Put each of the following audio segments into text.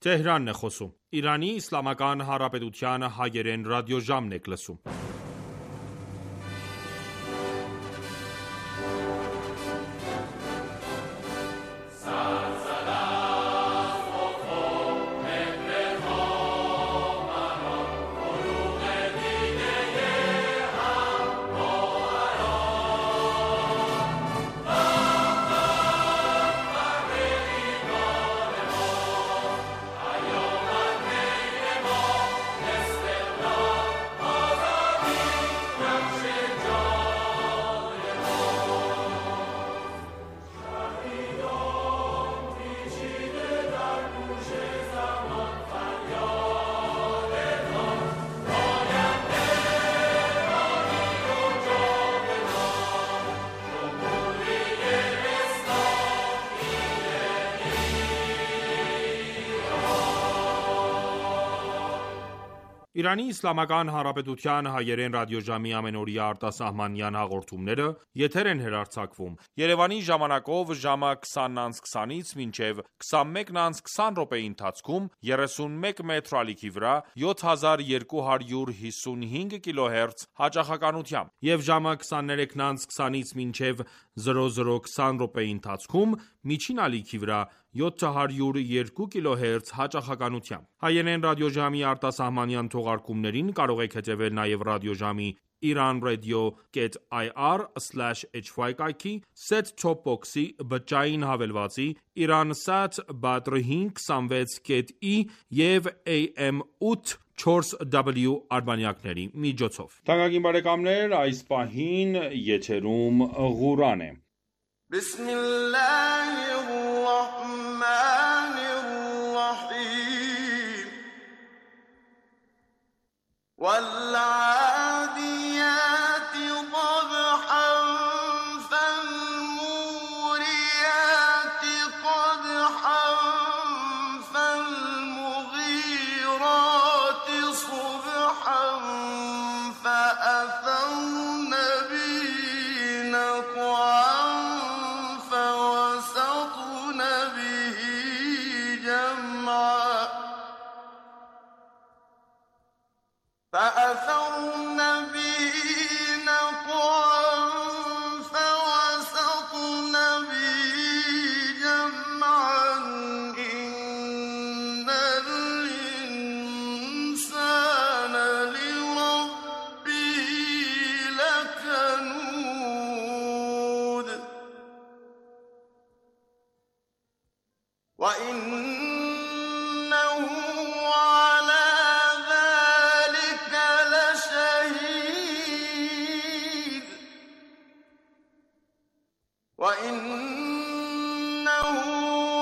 Թեհրանն է խոսում։ Իրանի Իսլամական Հանրապետության հայերեն ռադիոժամն եք լսում։ Իրանի Իսլամական Հանրապետության հայերեն ռադիոժամի ամենօրյա արտասահմանյան հաղորդումները եթեր են հեռարձակվում Երևանի ժամանակով ժամը 20:20-ից մինչև 21:20 ընթացքում 31 մետր ալիքի վրա 7255 կիլոհերց հաճախականությամբ եւ ժամը 23:20-ից մինչև 00:20 ընթացքում միջին ալիքի վրա 702 կիլոհերց հաճախականությամբ։ Հայերեն ռադիոժամի արտասահմանյան թողարկումներին կարող եք հետևել նաև ռադիոժամի iranradio.ir/hy կայքի, set-top box-ի, բջջային հավելվածի, Iransat Badr 526.e եւ AM 8/4W արբանյակների միջոցով։ Թանկագին բարեկամներ, այս պահին եթերում Ղուրան է։ بسم الله الرحمن الرحيم والعاديات ضبحا فالموريات قدحا فالمغيرات صبحا فأثرن به نقعا فأثرن به نقعا فوسطن به جمعا إن الإنسان لربه لكنود وإنه على ذلك لشهيد وإنه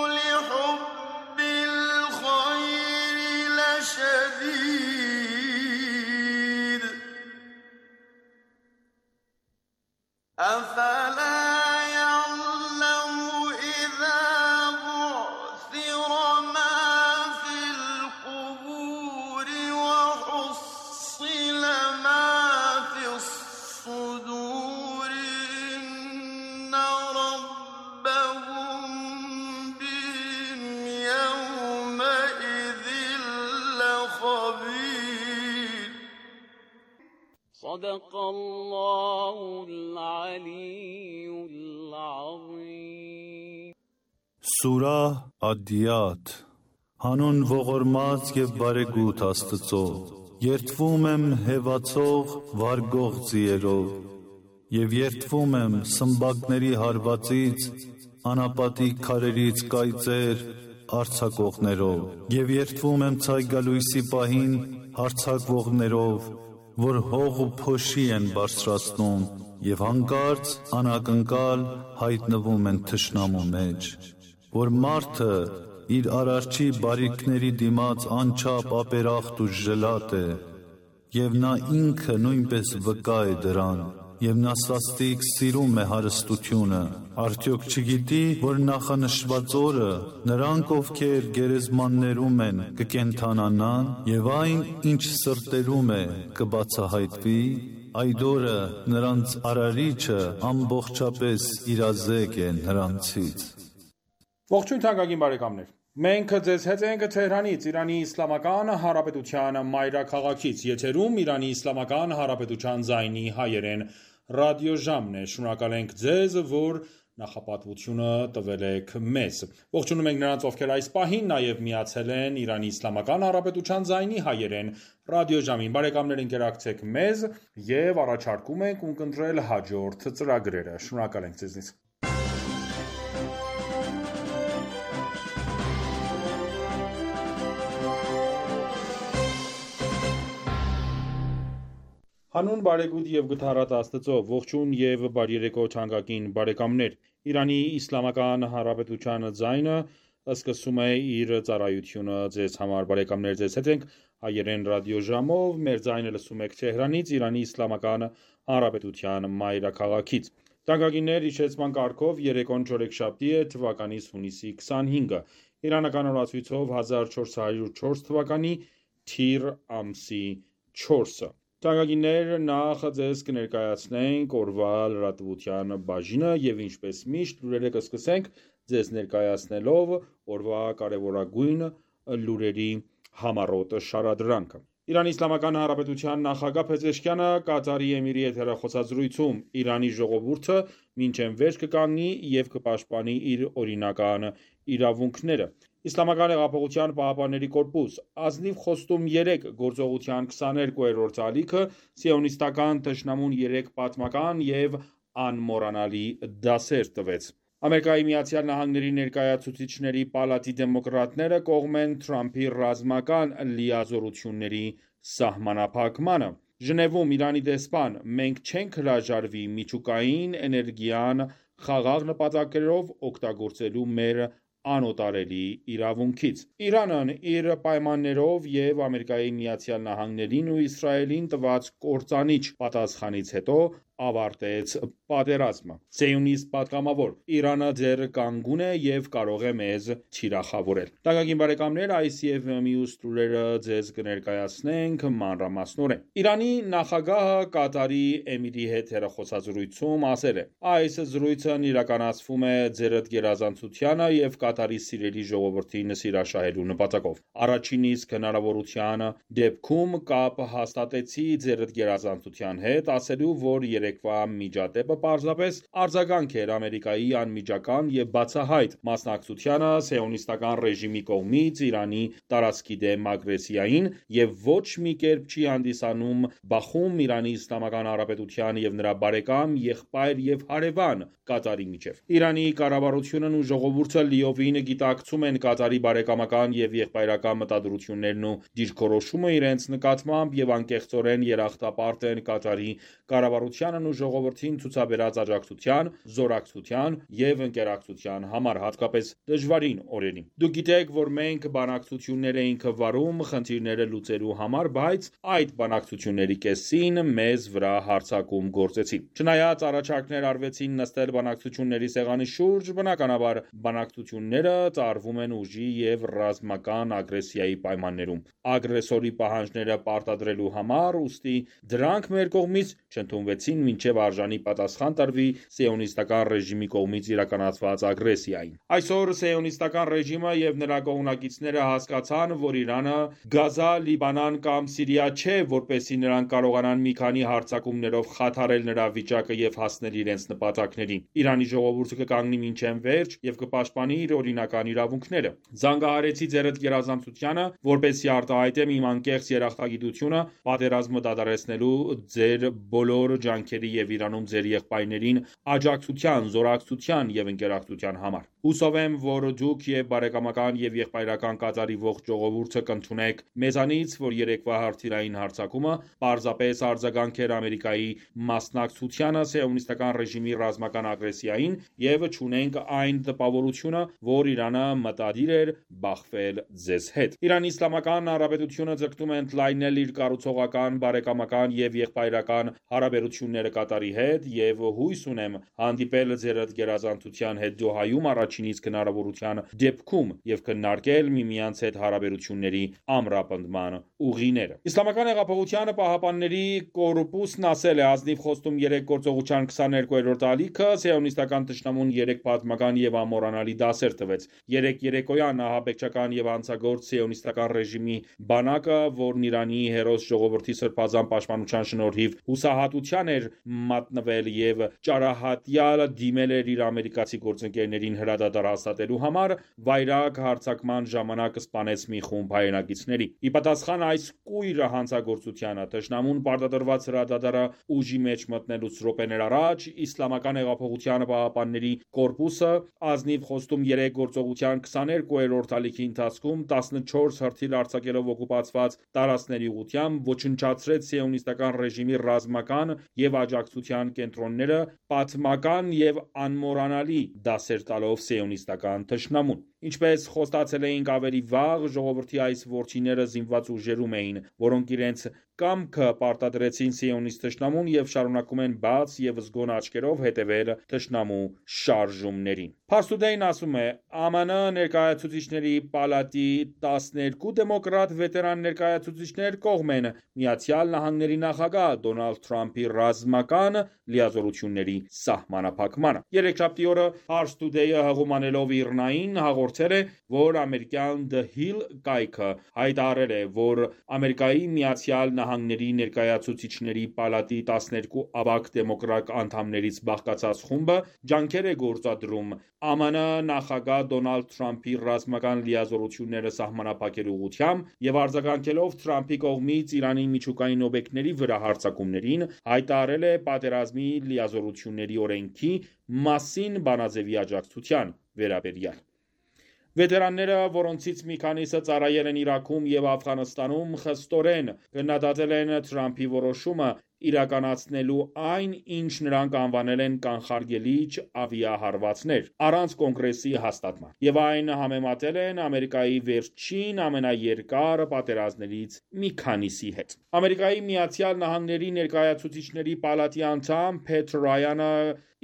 لحب الخير لشديد أفلا يعلم إذا بعثر ما في القبور وحصل ما في الصدور إن ربهم بهم يومئذ لخبير صدق الله العلي العظيم Սուրահ Ադիաթ Հանուն ողորմած և բարեգութ Աստծո, երդվում եմ հևացող վարգող ձիերով, և երդվում եմ սմբակների հարվածից, անապատի քարերից կայծեր արձակողներով, և երդվում եմ ցայգալույսի պահին հարձակվողներով, որ հող ու փոշի են բարձրացնում, և հանկարծ անակնկալ հայտնվում են թշնամու մեջ, որ մարդը իր արարչի բարիքների դիմաց անչափ ապերախտ ու ժլատ է, և նա ինքը նույնպես վկա է դրան, և նա սաստիկ սիրում է հարստությունը, արդյոք չգիտի, որ նախանշված օրը նրանք, ովքեր գերեզմաններում են, կկենդանանան, և այն, ինչ սրտերում է, կբացահայտվի, այդ օրը նրանց արարիչը ամբողջապես իրազեկ է նրանցից։ Ողջույն թանկագին բարեկամներ։ Մենք ձեզ հետ ենք Թեհրանից, Իրանի Իսլամական Հանրապետության մայրաքաղաքից, եթերում Իրանի Իսլամական Հանրապետության ձայնի հայերեն ռադիոժամն է, շնորհակալ ենք ձեզ, որ նախապատվությունը տվել եք մեզ։ Ողջունում ենք նրանց, ովքեր այս պահին նաև միացել են Իրանի Իսլամական Հանրապետության ձայնի հայերեն ռադիոժամին։ Բարեկամներ, ընկերակցեք մեզ եւ առաջարկում ենք ունկնդրել հաջորդ ծրագրերը։ Շնորհակալ ենք ձեզնից։ Հանուն բարեգութ եւ գթառատ Աստծո, ողջույն եւ բարերեկո թանկագին բարեկամներ։ Իրանի Իսլամական Հանրապետության ձայնը սկսում է իր ծառայությունը ձեզ համար, բարեկամներ, ձեզ հետ ենք հայերեն ռադիոժամով, մեր ձայնը լսում եք Թեհրանից, Իրանի Իսլամական Հանրապետության մայրաքաղաքից։ Թանկագիններ, իջեցման կարգով երեկոն չորեքշաբթի է, թվականի հունիսի 25-ը, իրանական օրացույցով 1404 թվականի թիր ամսի 4-ը։ Թանկագիններ, նախ ձեզ կներկայացնենք օրվա լրատվության բաժինը եւ ինչպես միշտ լուրերը կսկսենք ձեզ ներկայացնելով օրվա կարևորագույն լուրերի համառոտ շարադրանքը։ Իրանի Իսլամական Հանրապետության նախագահ Փեզեշքյանը Կատարի Էմիրի եթերախոսազրույցում Իրանի ժողովուրդը մինչև վերջ կկանգնի եւ կպաշտպանի իր օրինական իրավունքները։ Իսլամական հեղափոխության պահապանների կորպուս ազնիվ խոստում 3 գործողության 22-րդ ալիքը սիոնիստական թշնամուն 3 պատմական եւ անմոռանալի դասեր տվեց։ Ամերիկայի Միացյալ Նահանգների ներկայացուցիչների պալատի դեմոկրատները կողմ են Թրամփի ռազմական լիազորությունների սահմանափակմանը։ Ժնևում Իրանի դեսպան մենք չենք հրաժարվի միջուկային էներգիան խաղաղ նպատակներով օգտագործելու մեր անօտարելի իրավունքից։ Իրանն իր պայմաններով եւ Ամերիկայի Միացյալ Նահանգներին ու Իսրայելին տված կործանիչ պատասխանից հետո ավարտեց պատերազմը։ Սիոնիստ պատգամավոր Իրանը դեռ կանգուն է եւ կարող է մեզ թիրախավորել։ Թանկագին բարեկամներ, այս եւ մյուս լուրերը ձեզ կներկայացնենք մանրամասնորեն։ Իրանի նախագահը Կատարի Էմիրի հետ հեռախոսազրույցում ասել է. այս զրույցն իրականացվում է ձերդ գերազանցությանը եւ Կատարի սիրելի ժողովրդին սիրաշահելու նպատակով։ Առաջին իսկ հնարավորության դեպքում կապ հաստատեցի ձերդ գերազանցության հետ, ասելու, որ երեկվա միջադեպը պարզապես արձագանք էր Ամերիկայի անմիջական եւ բացահայտ մասնակցությանը սիոնիստական ռեժիմի կողմից Իրանի տարածքի դեմ ագրեսիային եւ ոչ մի կերպ չի հանդիսանում բախում Իրանի Իսլամական Հանրապետության եւ նրա բարեկամ, եղբայր եւ հարևան Կատարի միջև։ Իրանի կառավարությունն ու ժողովուրդը լիովին գիտակցում են Կատարի բարեկամական եւ եղբայրական մտադրություններն ու դիրքորոշումը իրենց նկատմամբ եւ անկեղծորեն երախտապարտ են Կատարի կառավարությանն ու ժողովրդին ցուցաբերած աջակցության, զորակցության եւ ընկերակցության համար, հատկապես դժվարին օրերին։ Դուք գիտեք, որ մենք բանակցություններ էինք վարում խնդիրները լուծելու համար, բայց այդ բանակցությունների կեսին մեզ վրա հարձակում գործեցին։ Չնայած առաջարկներ արվեցին նստել բանակցությունների սեղանի շուրջ, բնականաբար բանակցությունները տարվում են ուժի եւ ռազմական ագրեսիայի պայմաններում։ Ագրեսորի պահանջները պարտադրելու համար, ուստի դրանք մեր կողմից չընդունվեցին մինչև արժանի պատասխան տրվի սիոնիստական ռեժիմի կողմից իրականացված ագրեսիային։ Այսօր սիոնիստական ռեժիմը եւ նրա կողմնակիցները հասկացան, որ Իրանը Գազա, Լիբանան կամ Սիրիա չէ, որպեսզի նրանք կարողանան մի քանի հարձակումներով խաթարել նրա վիճակը եւ հասնել իրենց նպատակներին։ Իրանի ժողովուրդը կկանգնի մինչև վերջ եւ կպաշտպանի իր օրինական իրավունքները։ Զանգահարեցի ձերդ գերազանցությանը, որպեսզի արտահայտեմ իմ անկեղծ երախտագիտությունը պատերազմը դադարեցնելու ձեր բոլոր ջանքերի եւ Իրանում ձեր եղբայրներին աջակցության, զորակցության եւ ընկերակցության համար։ Հուսով եմ, որ դուք եւ բարեկամական եւ եղբայրական Կատարի ողջ ժողովուրդը կընդունեք մեզանից, որ երեկվա հրթիռային հարձակումը պարզապես արձագանք էր Ամերիկայի մասնակցությանը սիոնիստական ռեժիմի ռազմական ագրեսիային եւ չունենք այն տպավորությունը, որ Իրանը մտադիր էր բախվել ձեզ հետ։ Իրանի Իսլամական Հանրապետությունը ձգտում է ընդլայնել իր կառուցողական, բարեկամական եւ եղբայրական հարաբերությունները քննարկումները Կատարի հետ եւ հույս ունեմ հանդիպել ձեր գերազանցության հետ Դոհայում առաջինից հնարավորության դեպքում եւ քննարկել միմյանց հետ հարաբերությունների ամրապնդման ուղիները։ Իսլամական հեղափոխության պահապանների կորպուսն ասել է ազնիվ խոստում 3 գործողության 22-րդ ալիքը սիոնիստական թշնամուն 3 պատմական եւ ամորանալի դասեր տվեց։ 3 երեկոյան ահաբեկչական եւ անցագործ սիոնիստական ռեժիմի բանակը, որն Իրանի հերոս ժողովրդի սրբազան պաշտպանության շնորհիվ հուսահատության էր մատնվել եւ ճարահատյալ դիմել էր իր ամերիկացի գործընկերներին հրադադար հաստատելու համար, վայրագ հարձակման ժամանակ սպանեց մի խումբ հայրենակիցների։ Ի պատասխան այս կույր հանցագործությանը թշնամուն պարտադրված հրադադարը ուժի մեջ մտնելուց րոպեներ առաջ Իսլամական հեղափոխության պահապանների կորպուսը ազնիվ խոստում 3 գործողության 22-րդ ալիքի ընթացքում 14 հրթիռ արձակելով օկուպացված տարածքների ուղղությամբ ոչնչացրեց սիոնիստական ռեժիմի ռազմական եւ աջակցության կենտրոնները, պատմական եւ անմոռանալի դասեր տալով սիոնիստական թշնամուն։ Ինչպես խոստացել էինք ավելի վաղ, ժողովրդի այս ворչիները զինված ուժերում էին, որոնք իրենց կամքը պարտադրեցին սիոնիստ թշնամուն եւ շարունակում են բաց եւ զգոն աչքերով հետևել թշնամու շարժումներին։ Pars Today-ն ասում է. ԱՄՆ ներկայացուցիչների պալատի 12 դեմոկրատ վետերան ներկայացուցիչներ կողմ են Միացյալ Նահանգների նախագահ Դոնալդ Թրամփի ռազմական լիազորությունների սահմանափակմանը։ Երեքշաբթի օրը Pars Today-ը հղումանելով Իրնային հաղորդել է, որ ամերիկյան The Hill կայքը հայտարարել է, որ Ամերիկայի Միացյալ Նահանգների ներկայացուցիչների պալատի 12 ավագ դեմոկրատ անդամներից բաղկացած խումբը ջանքեր է գործադրում ԱՄՆ նախագահ Դոնալդ Թրամփի ռազմական լիազորությունները սահմանափակելու ուղղությամբ եւ արձագանքելով Թրամփի կողմից Իրանի միջուկային օբյեկտների վրա հարձակումներին, հայտարարել է պատերազմի լիազորությունների օրենքի մասին բանաձևի աջակցության վերաբերյալ։ Վետերանները, որոնցից մի քանիսը ծառայել են Իրաքում եւ Աֆղանստանում, խստորեն գնահատել են Թրամփի որոշումը իրականացնելու այն, ինչ նրանք անվանել են կանխարգելիչ ավիահարվածներ, առանց կոնգրեսի հաստատման, եւ այն համեմատել են Ամերիկայի վերջին ամենաերկար պատերազմներից մի քանիսի հետ։ Ամերիկայի Միացյալ Նահանգների ներկայացուցիչների պալատի անդամ Փեթ Ռայանը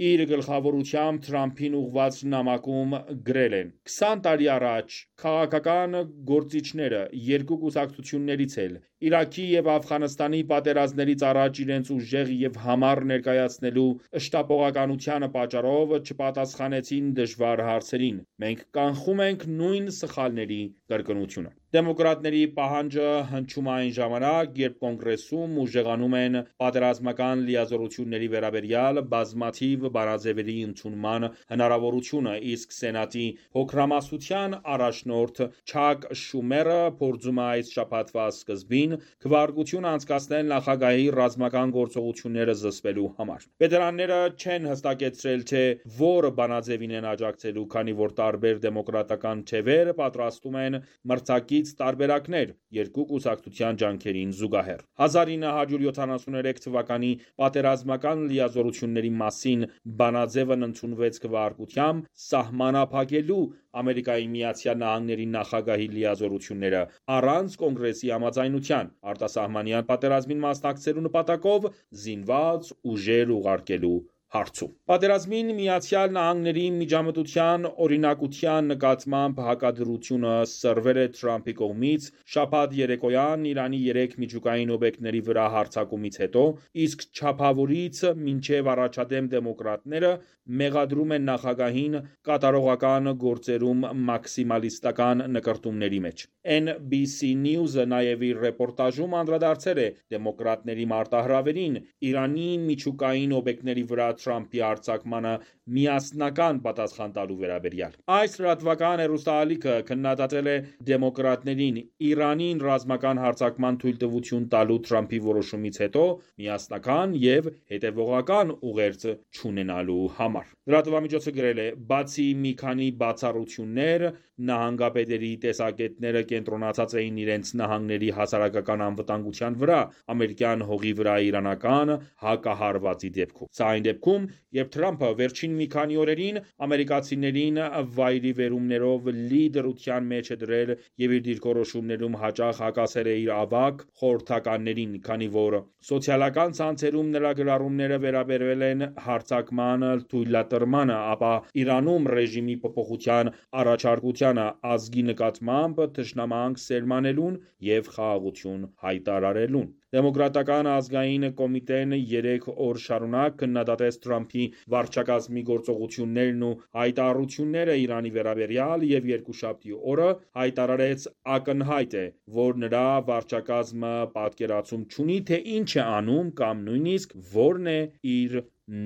իր գլխավորությամբ Թրամփին ուղղված նամակում գրել են. 20 տարի առաջ քաղաքական գործիչները երկու կուսակցություններից էլ Իրաքի եւ Աֆղանստանի պատերազմներից առաջ իրենց ուժեղ եւ համառ ներկայացնելու շտապողականության պատճառով չպատասխանեցին դժվար հարցերին։ Մենք կանխում ենք նույն սխալների կրկնությունը։ Դեմոկրատների պահանջը հնչում այն ժամանակ, երբ կոնգրեսում ուժեղանում են պատերազմական լիազորությունների վերաբերյալ բազմաթիվ բանաձևերի ընդունման հնարավորությունը, իսկ Սենատի փոքրամասնության առաջնորդ Չակ Շումերը փորձում է այս շաբաթվա սկզբին քվեարկություն անցկացնել նախագահի ռազմական գործողությունները զսպելու համար։ Վետերանները չեն հստակեցրել, թե որ բանաձևին են աջակցելու, քանի որ տարբեր դեմոկրատական թևեր պատրաստում են մրցակից տարբերակներ երկու կուսակցության ջանքերին զուգահեռ։ 1973 թվականի պատերազմական լիազորությունների մասին բանաձևն ընդունվեց քվեարկությամբ սահմանափակելու Ամերիկայի Միացյալ Նահանգների նախագահի լիազորությունները առանց կոնգրեսի համաձայնության, արտասահմանյան պատերազմին մասնակցելու նպատակով զինված ուժեր ուղարկելու հարցում։ Պատերազմին Միացյալ Նահանգների միջամտության օրինակության նկատմամբ հակադրությունը սրվել է Թրամփի կողմից շաբաթ երեկոյան Իրանի 3 միջուկային օբյեկտների վրա հարձակումից հետո, իսկ չափավորից մինչև առաջադեմ դեմոկրատները մեղադրում են նախագահին կատարողական գործերում մաքսիմալիստական նկրտումների մեջ։ NBC News-ը նաև իր ռեպորտաժում անդրադարձել է դեմոկրատների մարտահրավերին Իրանի միջուկային օբյեկտների վրա Թրամփի արձակմանը միասնական պատասխան տալու վերաբերյալ։ Այս լրատվական հեռուստաալիքը քննադատել է դեմոկրատներին Իրանին ռազմական հարձակման թույլտվություն տալու Թրամփի որոշումից հետո միասնական եւ հետեւողական ուղերձ չունենալու համար։ Լրատվամիջոցը գրել է. բացի մի քանի բացառություններ, նահանգապետերի տեսակետները կենտրոնացած էին իրենց նահանգների հասարակական անվտանգության վրա ամերիկյան հողի վրա իրանական հակահարվածի դեպքում։ Սա այն դեպքում, երբ Թրամփը վերջին Վերջին մի քանի օրերին ամերիկացիներին վայրիվերումներով լի դրության մեջ է դրել եւ իր դիրքորոշումներում հաճախ հակասել է իր ավագ խորհրդականներին, քանի որ սոցիալական ցանցերում նրա գրառումները վերաբերվել են հարձակման թույլատրմանը, ապա Իրանում ռեժիմի փոփոխության առաջարկությանը, ազգի նկատմամբ թշնամանք սերմանելուն եւ խաղաղություն հայտարարելուն։ Դեմոկրատական ազգային կոմիտեն 3 օր շարունակ քննադատեց Թրամփի վարչակազմի գործողություններն ու հայտարարությունները Իրանի վերաբերյալ եւ երկուշաբթի օրը հայտարարեց ակնհայտ է, որ նրա վարչակազմը պատկերացում չունի, թե ինչ է անում կամ նույնիսկ որն է իր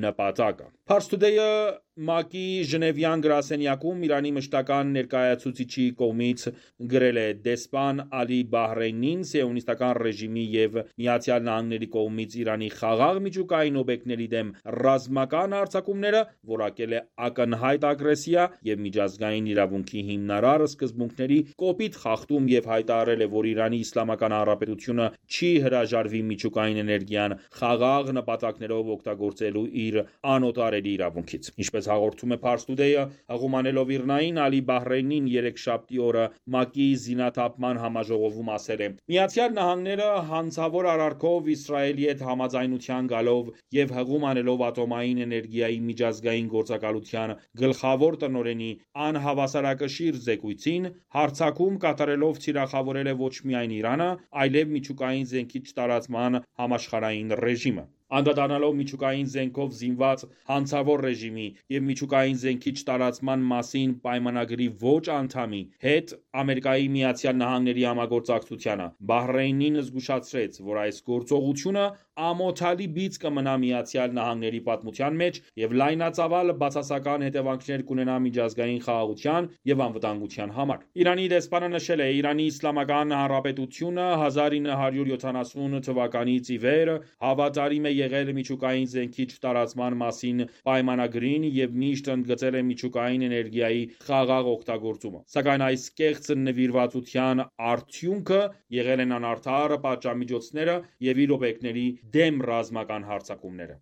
նպատակը։ Pars Today-ը ՄԱԿ-ի Ժնևյան գրասենյակում Իրանի մշտական ներկայացուցիչի կողմից գրել է. դեսպան Ալի Բահրեյնին սիոնիստական ռեժիմի եւ ԱՄՆ-ի կողմից Իրանի խաղաղ միջուկային օբյեկտների դեմ ռազմական հարձակումները որակել է ակնհայտ ագրեսիա եւ միջազգային իրավունքի հիմնարար սկզբունքների կոպիտ խախտում եւ հայտարարել է, որ Իրանի Իսլամական Հանրապետությունը չի հրաժարվի միջուկային էներգիան խաղաղ նպատակներով օգտագործելու իր անօտարելի իրավունքից։ Ինչպես հաղորդում է Pars Today-ը, հղումանելով Իրնային, Ալի Բահրեյնին երեքշաբթի օրը ՄԱԿ-ի զինաթափման համաժողովում ասել է. Միացյալ Նահանգները հանցավոր արարքով Իսրայելի հետ համաձայնության գալով եւ հղում անելով ատոմային էներգիայի միջազգային գործակալության գլխավոր տնօրենի անհավասարակշիռ զեկույցին հարձակում կատարելով թիրախավորել է ոչ միայն Իրանը, այլև միջուկային զենքի չտարածման համաշխարհային ռեժիմը։ Անդրադառնալով միջուկային զենքով զինված հանցավոր ռեժիմի եւ միջուկային զենքի չտարածման մասին պայմանագրի ոչ անդամի հետ Ամերիկայի Միացյալ Նահանգների համագործակցությանը, Բահրեյնին զգուշացրեց, որ այս գործողությունը ամոթալի բիծ կմնա Միացյալ Նահանգների պատմության մեջ եւ լայնածավալ բացասական հետևանքներ կունենա միջազգային խաղաղության եւ անվտանգության համար։ Իրանի դեսպանը նշել է. Իրանի Իսլամական Հանրապետությունը 1970 թվականից ի վեր հավատարիմ է եղել միջուկային զենքի չտարածման մասին պայմանագրին եւ միշտ ընդգծել է միջուկային էներգիայի խաղաղ օգտագործումը։ Սակայն այս կեղծ նվիրվածության արդյունքը եղել են անարդար պատժամիջոցները եւ իր օբյեկտների դեմ ռազմական հարձակումները։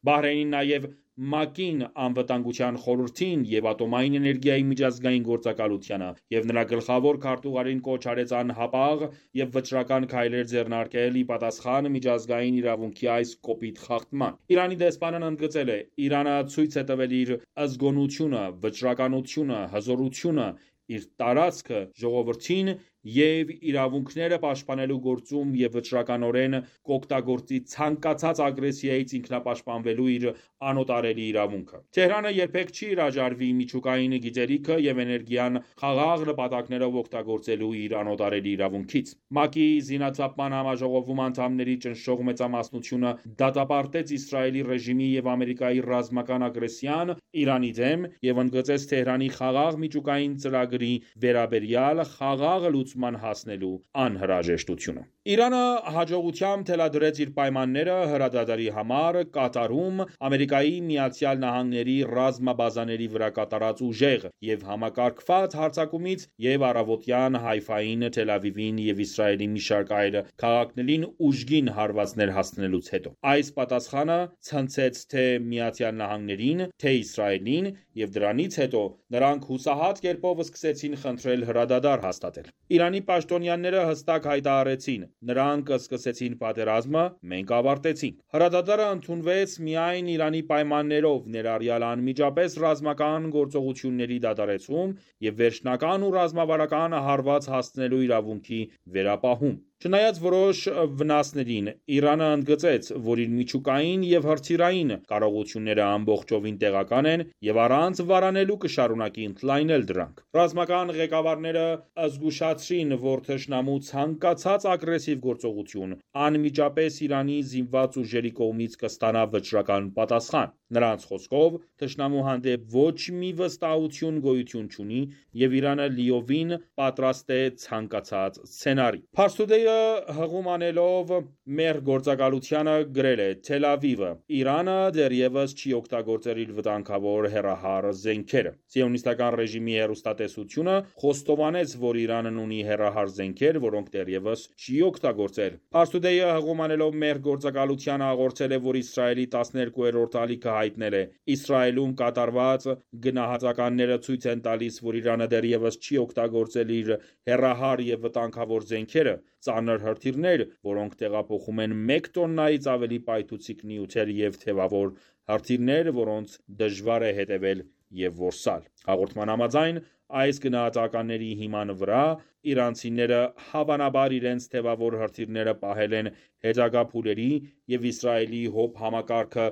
Բահրեյնին նաեւ ՄԱԿ-ին, Անվտանգության խորհրդին եւ ատոմային էներգիայի միջազգային գործակալությանը եւ նրա գլխավոր քարտուղարին կոչ արեց անհապաղ եւ վճռական քայլեր ձեռնարկել ի պատասխան միջազգային իրավունքի այս կոպիտ խախտման։ Իրանի դեսպանն ընդգծել է. Իրանը ցույց է տվել իր ազգոնությունը, վճռականությունը, հզորությունը, իր տարածքը ժողովրդին եւ իրավունքները պաշտպանելու գործում եւ վճռականորեն կօգտագործի ցանկացած ագրեսիայից ինքնապաշտպանվելու իր անօտարելի իրավունքը։ Թեհրանը երբեք չի հրաժարվի միջուկային գիտելիքը եւ էներգիան խաղաղ նպատակներով օգտագործելու իր անօտարելի իրավունքից։ ՄԱԿ-ի զինաթափման համաժողովում անդամների ճնշող մեծամասնությունը դատապարտեց Իսրայելի ռեժիմի եւ Ամերիկայի ռազմական ագրեսիան Իրանի դեմ եւ ընդգծեց Թեհրանի խաղաղ միջուկային ծրագրի վերաբերյալ խաղաղ հասնելու անհրաժեշտությունը։ Իրանը հաջողությամբ թելադրեց իր պայմանները հրադադարի համար Կատարում Ամերիկայի Միացյալ Նահանգների ռազմաբազաների վրա կատարած ուժեղ եւ համակարգված հարձակումից եւ առավոտյան Հայֆային, Թել Ավիվին եւ Իսրայելի մի շարք այլ քաղաքներին ուժգին հարվածներ հասցնելուց հետո։ Այս պատասխանը ցնցեց թե Միացյալ Նահանգներին, թե Իսրայելին եւ դրանից հետո նրանք հուսահատ կերպով սկսեցին խնդրել հրադադար հաստատել։ Իրանի պաշտոնյաները հստակ հայտարարեցին. նրանք սկսեցին պատերազմը, մենք ավարտեցինք։ Հրադադարը ընդունվեց միայն Իրանի պայմաններով, ներառյալ անմիջապես ռազմական գործողությունների դադարեցում եւ վերջնական ու ռազմավարական հարված հասցնելու իրավունքի վերապահում։ Չնայած որոշ վնասներին, Իրանը ընդգծեց, որ իր միջուկային եւ հրթիռային կարողությունները ամբողջովին տեղական են եւ առանց վարանելու կշարունակի ընդլայնել դրանք։ Ռազմական ղեկավարները զգուշացրին, որ թշնամու ցանկացած ագրեսիվ գործողություն անմիջապես Իրանի զինված ուժերի կողմից կստանա վճռական պատասխան։ Նրանց խոսքով, թշնամու հանդեպ ոչ մի վստահություն գոյություն չունի եւ Իրանը լիովին պատրաստ է ցանկացած սցենարի։ Pars Today-ը Պարսուդեյը հղում անելով մեր գործակալությանը գրել է. Թել Ավիվը, Իրանը դեռևս չի օգտագործել իր վտանգավոր հեռահար զենքերը։ Սիոնիստական ռեժիմի հեռուստատեսությունը խոստովանեց, որ Իրանն ունի հեռահար զենքեր, որոնք դեռևս չի օգտագործել։ Պարսուդեյը հղում անելով մեր գործակալությանը հաղորդել է, որ Իսրայելի 12-րդ ալիքը հայտնել է. Իսրայելում կատարված գնահատականները ցույց են տալիս, որ Իրանը դեռևս չի օգտագործել իր հեռահար և վտանգավոր զենքերը, ծանր հրթիռներ, որոնք տեղափոխում են 1 տոննայից ավելի պայթուցիկ նյութեր և թևավոր հրթիռներ, որոնց դժվար է հետևել և որսալ։ Հաղորդման համաձայն, այս գնահատականների հիման վրա իրանցիները հավանաբար իրենց թևավոր հրթիռները պահել են հետագա փուլերի և Իսրայելի ՀՕՊ համակարգը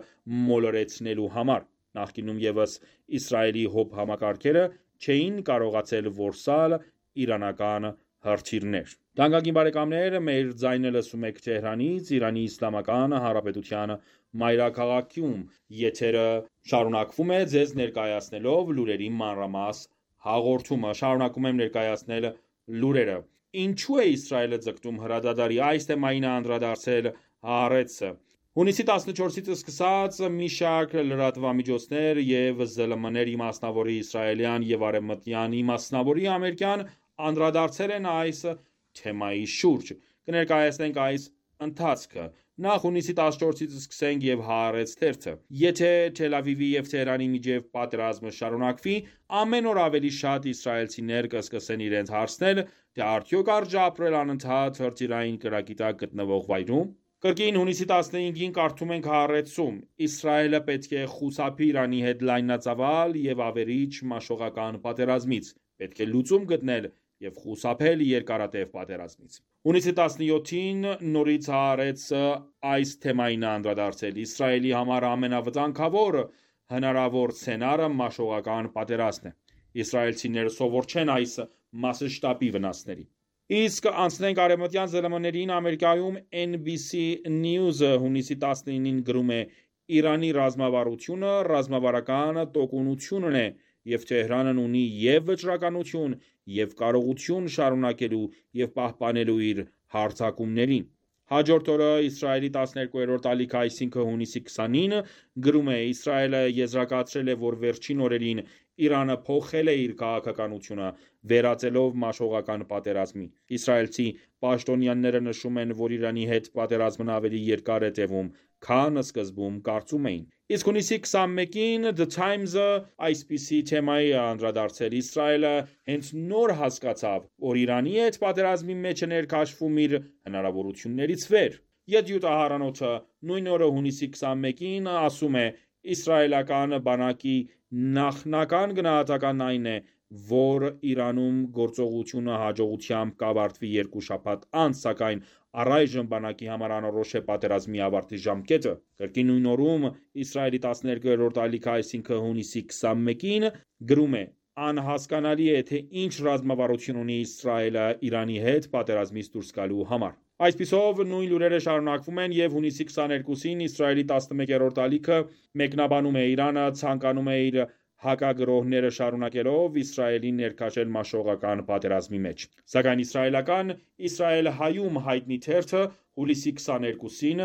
մոլորեցնելու համար։ Նախկինում ևս Իսրայելի ՀՕՊ համակարգերը չէին կարողացել որսալ իրանական հրթիռներ։ Թանկագին բարեկամներ, մեր ձայնը լսում եք Թեհրանից, Իրանի Իսլամական Հանրապետության մայրաքաղաքում։ Եթերը շարունակվում է ձեզ ներկայացնելով լուրերի մանրամաս հաղորդումը։ Շարունակում եմ ներկայացնել լուրերը։ Ինչու է Իսրայելը ձգտում հրադադարի։ Այս թեմային է անդրադարձել Հaaretz-ը։ Հունիսի 14-ից սկսած մի շարք լրատվամիջոցներ և ԶԼՄ-ներ իմասնավորի իսրայելյան և արևմտյան իմասնավորի ամերիկյան անդրադարձել են այս թեմայի շուրջ։ Կներկայացնենք այս ընթացքը։ Նախ հունիսի 14-ից սկսենք և Haaretz թերթը։ Եթե Թել Ավիվի և Թեհրանի միջև պատերազմը շարունակվի, ամեն օր ավելի շատ իսրայելցիներ կսկսեն իրենց հարցնել, թե արդյոք արժե ապրել անընդհատ հրթիռային կրակի տակ գտնվող վայրում։ Կրկին հունիսի 15-ին կարդում ենք Haaretz-ում. Իսրայելը պետք է խուսափի Իրանի հետ լայնածավալ և ավերիչ մաշողական պատերազմից, պետք է լուծում գտնել և խուսափել երկարատև պատերազմից։ Հունիսի 17-ին նորից Haaretz-ը այս թեմային է անդրադարձել. Իսրայելի համար ամենավտանգավոր հնարավոր սցենարը մաշողական պատերազմն է։ Իսրայելցիները սովոր չեն այս մասշտաբի վնասների։ Իսկ անցնենք արևմտյան ԶԼՄ-ներին։ Ամերիկայում NBC News-ը հունիսի 19-ին գրում է. Իրանի ռազմավարությունը ռազմավարական տոկունությունն է, և Թեհրանն ունի և վճռականություն, և կարողություն շարունակելու և պահպանելու իր հարձակումներին։ Հաջորդ օրը Իսրայելի 12-րդ ալիքը, այսինքն հունիսի 20-ին, գրում է. Իսրայելը եզրակացրել է, որ վերջին օրերին Իրանը փոխել է իր քաղաքականությունը, վերածելով մաշողական պատերազմի։ Իսրայելցի պաշտոնյաները նշում են, որ Իրանի հետ պատերազմն ավելի երկար է տևում, քան սկզբում կարծում էին։ Իսկ հունիսի 21-ին The Times-ը այսպիսի թեմայի է անդրադարձել. Իսրայելը հենց նոր հասկացավ, որ Իրանի հետ պատերազմի մեջ է ներքաշվում իր հնարավորություններից վեր։ Յեդյուտահարանոթը նույն օրը հունիսի 21-ին ասում է. Իսրայելական բանակի նախնական գնահատականն այն է, որ Իրանում գործողությունը հաջողությամբ կավարտվի 2 շաբաթ անց, սակայն առայժմ բանակի համար անորոշ է պատերազմի ավարտի ժամկետը։ Կրկին նույն օրում Իսրայելի 12-րդ ալիքը, այսինքն հունիսի 21-ին, գրում է. Անհասկանալի է, թե ինչ ռազմավարություն ունի Իսրայելը Իրանի հետ պատերազմից դուրս գալու համար։ Այսպիսով նույն լուրերը շարունակվում են և հունիսի 22-ին Իսրայելի 11-րդ ալիքը մեկնաբանում է. Իրանը ցանկանում է իր հակագրոհները շարունակելով Իսրայելին ներքաշել մաշողական պատերազմի մեջ։ Սակայն իսրայելական Իսրայել Հայում հայտնի թերթը հուլիսի 22-ին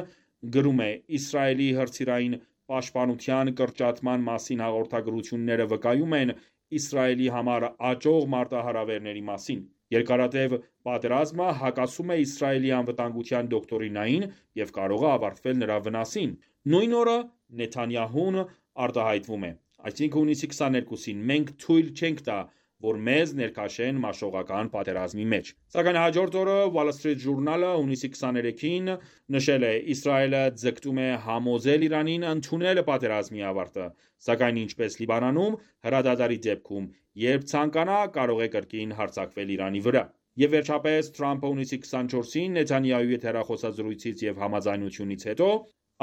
գրում է. Իսրայելի հրթիռային պաշտպանության կրճատման մասին հաղորդագրությունները վկայում են Իսրայելի համար աճող մարտահրավերների մասին։ Երկարատև պատերազմը հակասում է Իսրայելի անվտանգության դոկտրինային և կարող է ավարտվել նրա վնասին։ Նույն օրը Նեթանյահուն արտահայտվում է, այսինքն հունիսի 22-ին, մենք թույլ չենք տա, որ մեզ ներքաշեն մաշողական պատերազմի մեջ։ Սակայն հաջորդ օրը Wall Street Journal-ը հունիսի 23-ին նշել է. Իսրայելը ձգտում է համոզել Իրանին ընդունել պատերազմի ավարտը, սակայն ինչպես Լիբանանում, հրադադարի դեպքում, երբ ցանկանա, կարող է կրկին հարձակվել Իրանի վրա։ Եվ վերջապես Թրամփը հունիսի 24-ին Նեթանյահուի հետ հեռախոսազրույցից և համաձայնությունից հետո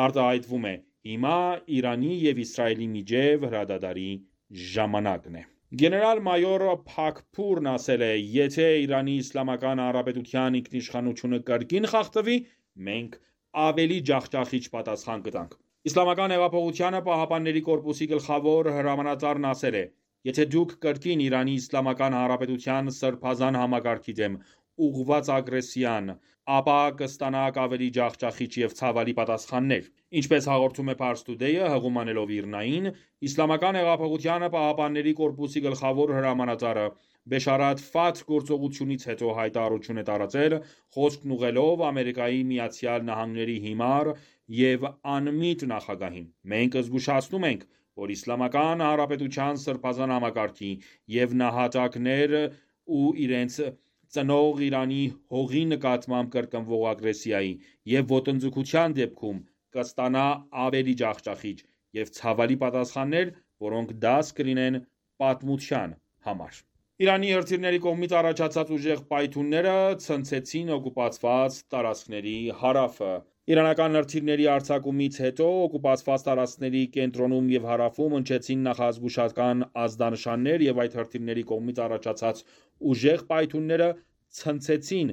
արտահայտվում է. Հիմա Իրանի և Իսրայելի միջև հրադադարի ժամանակն է։ Գեներալ-մայոր Փաքփուրն ասել է. Եթե Իրանի Իսլամական Հանրապետության ինքնիշխանությունը կրկին խախտվի, մենք ավելի ջախջախիչ պատասխան կտանք։ Իսլամական հեղափոխությանը Պահապանների կորպուսի գլխավոր հրամանատարն ասել է. Եթե դուք կրկին Իրանի Իսլամական Հանրապետության սրբազան համակարգի դեմ ուղղված ագրեսիան, ապա կստանաք ավելի ջախջախիչ և ցավալի պատասխաններ: Ինչպես հաղորդում է Pars Today-ը, հղում անելով ԻՌՆԱ-ին, Իսլամական հեղափոխության պահապանների կորպուսի գլխավոր հրամանատարը Բեշարաթ Ֆաթհ գործողությունից հետո հայտարարություն է տարածել, խոսքն ուղղելով ԱՄՆ-ի հիմար և անմիտ նախագահին: Մենք զգուշացնում ենք, որ Իսլամական Հանրապետության սրբազան համակարգի և նահատակներ ու իրենց ծնող Իրանի հողի նկատմամբ կրկնվող ագրեսիայի և ոտնձգության դեպքում կստանա ավելի ջախջախիչ և ցավալի պատասխաններ, որոնք դաս կլինեն պատմության համար: Իրանի հրթիռների կողմից առաջացած ուժեղ պայթյունները ցնցեցին օկուպացված տարածքների հարավը: Իրանական հրթիռների արձակումից հետո օկուպացված տարածքների կենտրոնում և հարավում հնչեցին նախազգուշական ազդանշաններ և այդ հրթիռների կողմից առաջացած ուժեղ պայթյունները ցնցեցին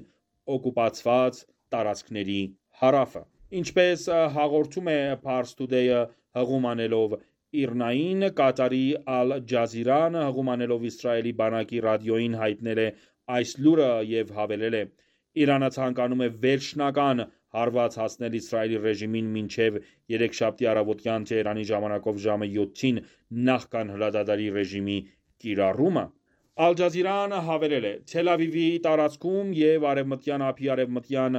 օկուպացված տարածքների հարավը: Ինչպես հաղորդում է Pars Today-ը հղում անելով ԻՌՆԱ-ին, Կատարի Ալ Ջազիրան հղում անելով Իսրայելի բանակի ռադիոյին հայտնել է այս լուրը և հավելել է. «Իրանը ցանկանում է վերջնական հարված հասնել Իսրայելի ռեժիմին մինչև երեքշաբթի առավոտյան Թեհրանի ժամանակով ժամը 7-ին նախքան հրադադարի ռեժիմի կիրառումը»: Ալ Ջազիրան հավելել է. «Թել Ավիվի տարածքում և Արևմտյան ափի արևմտյան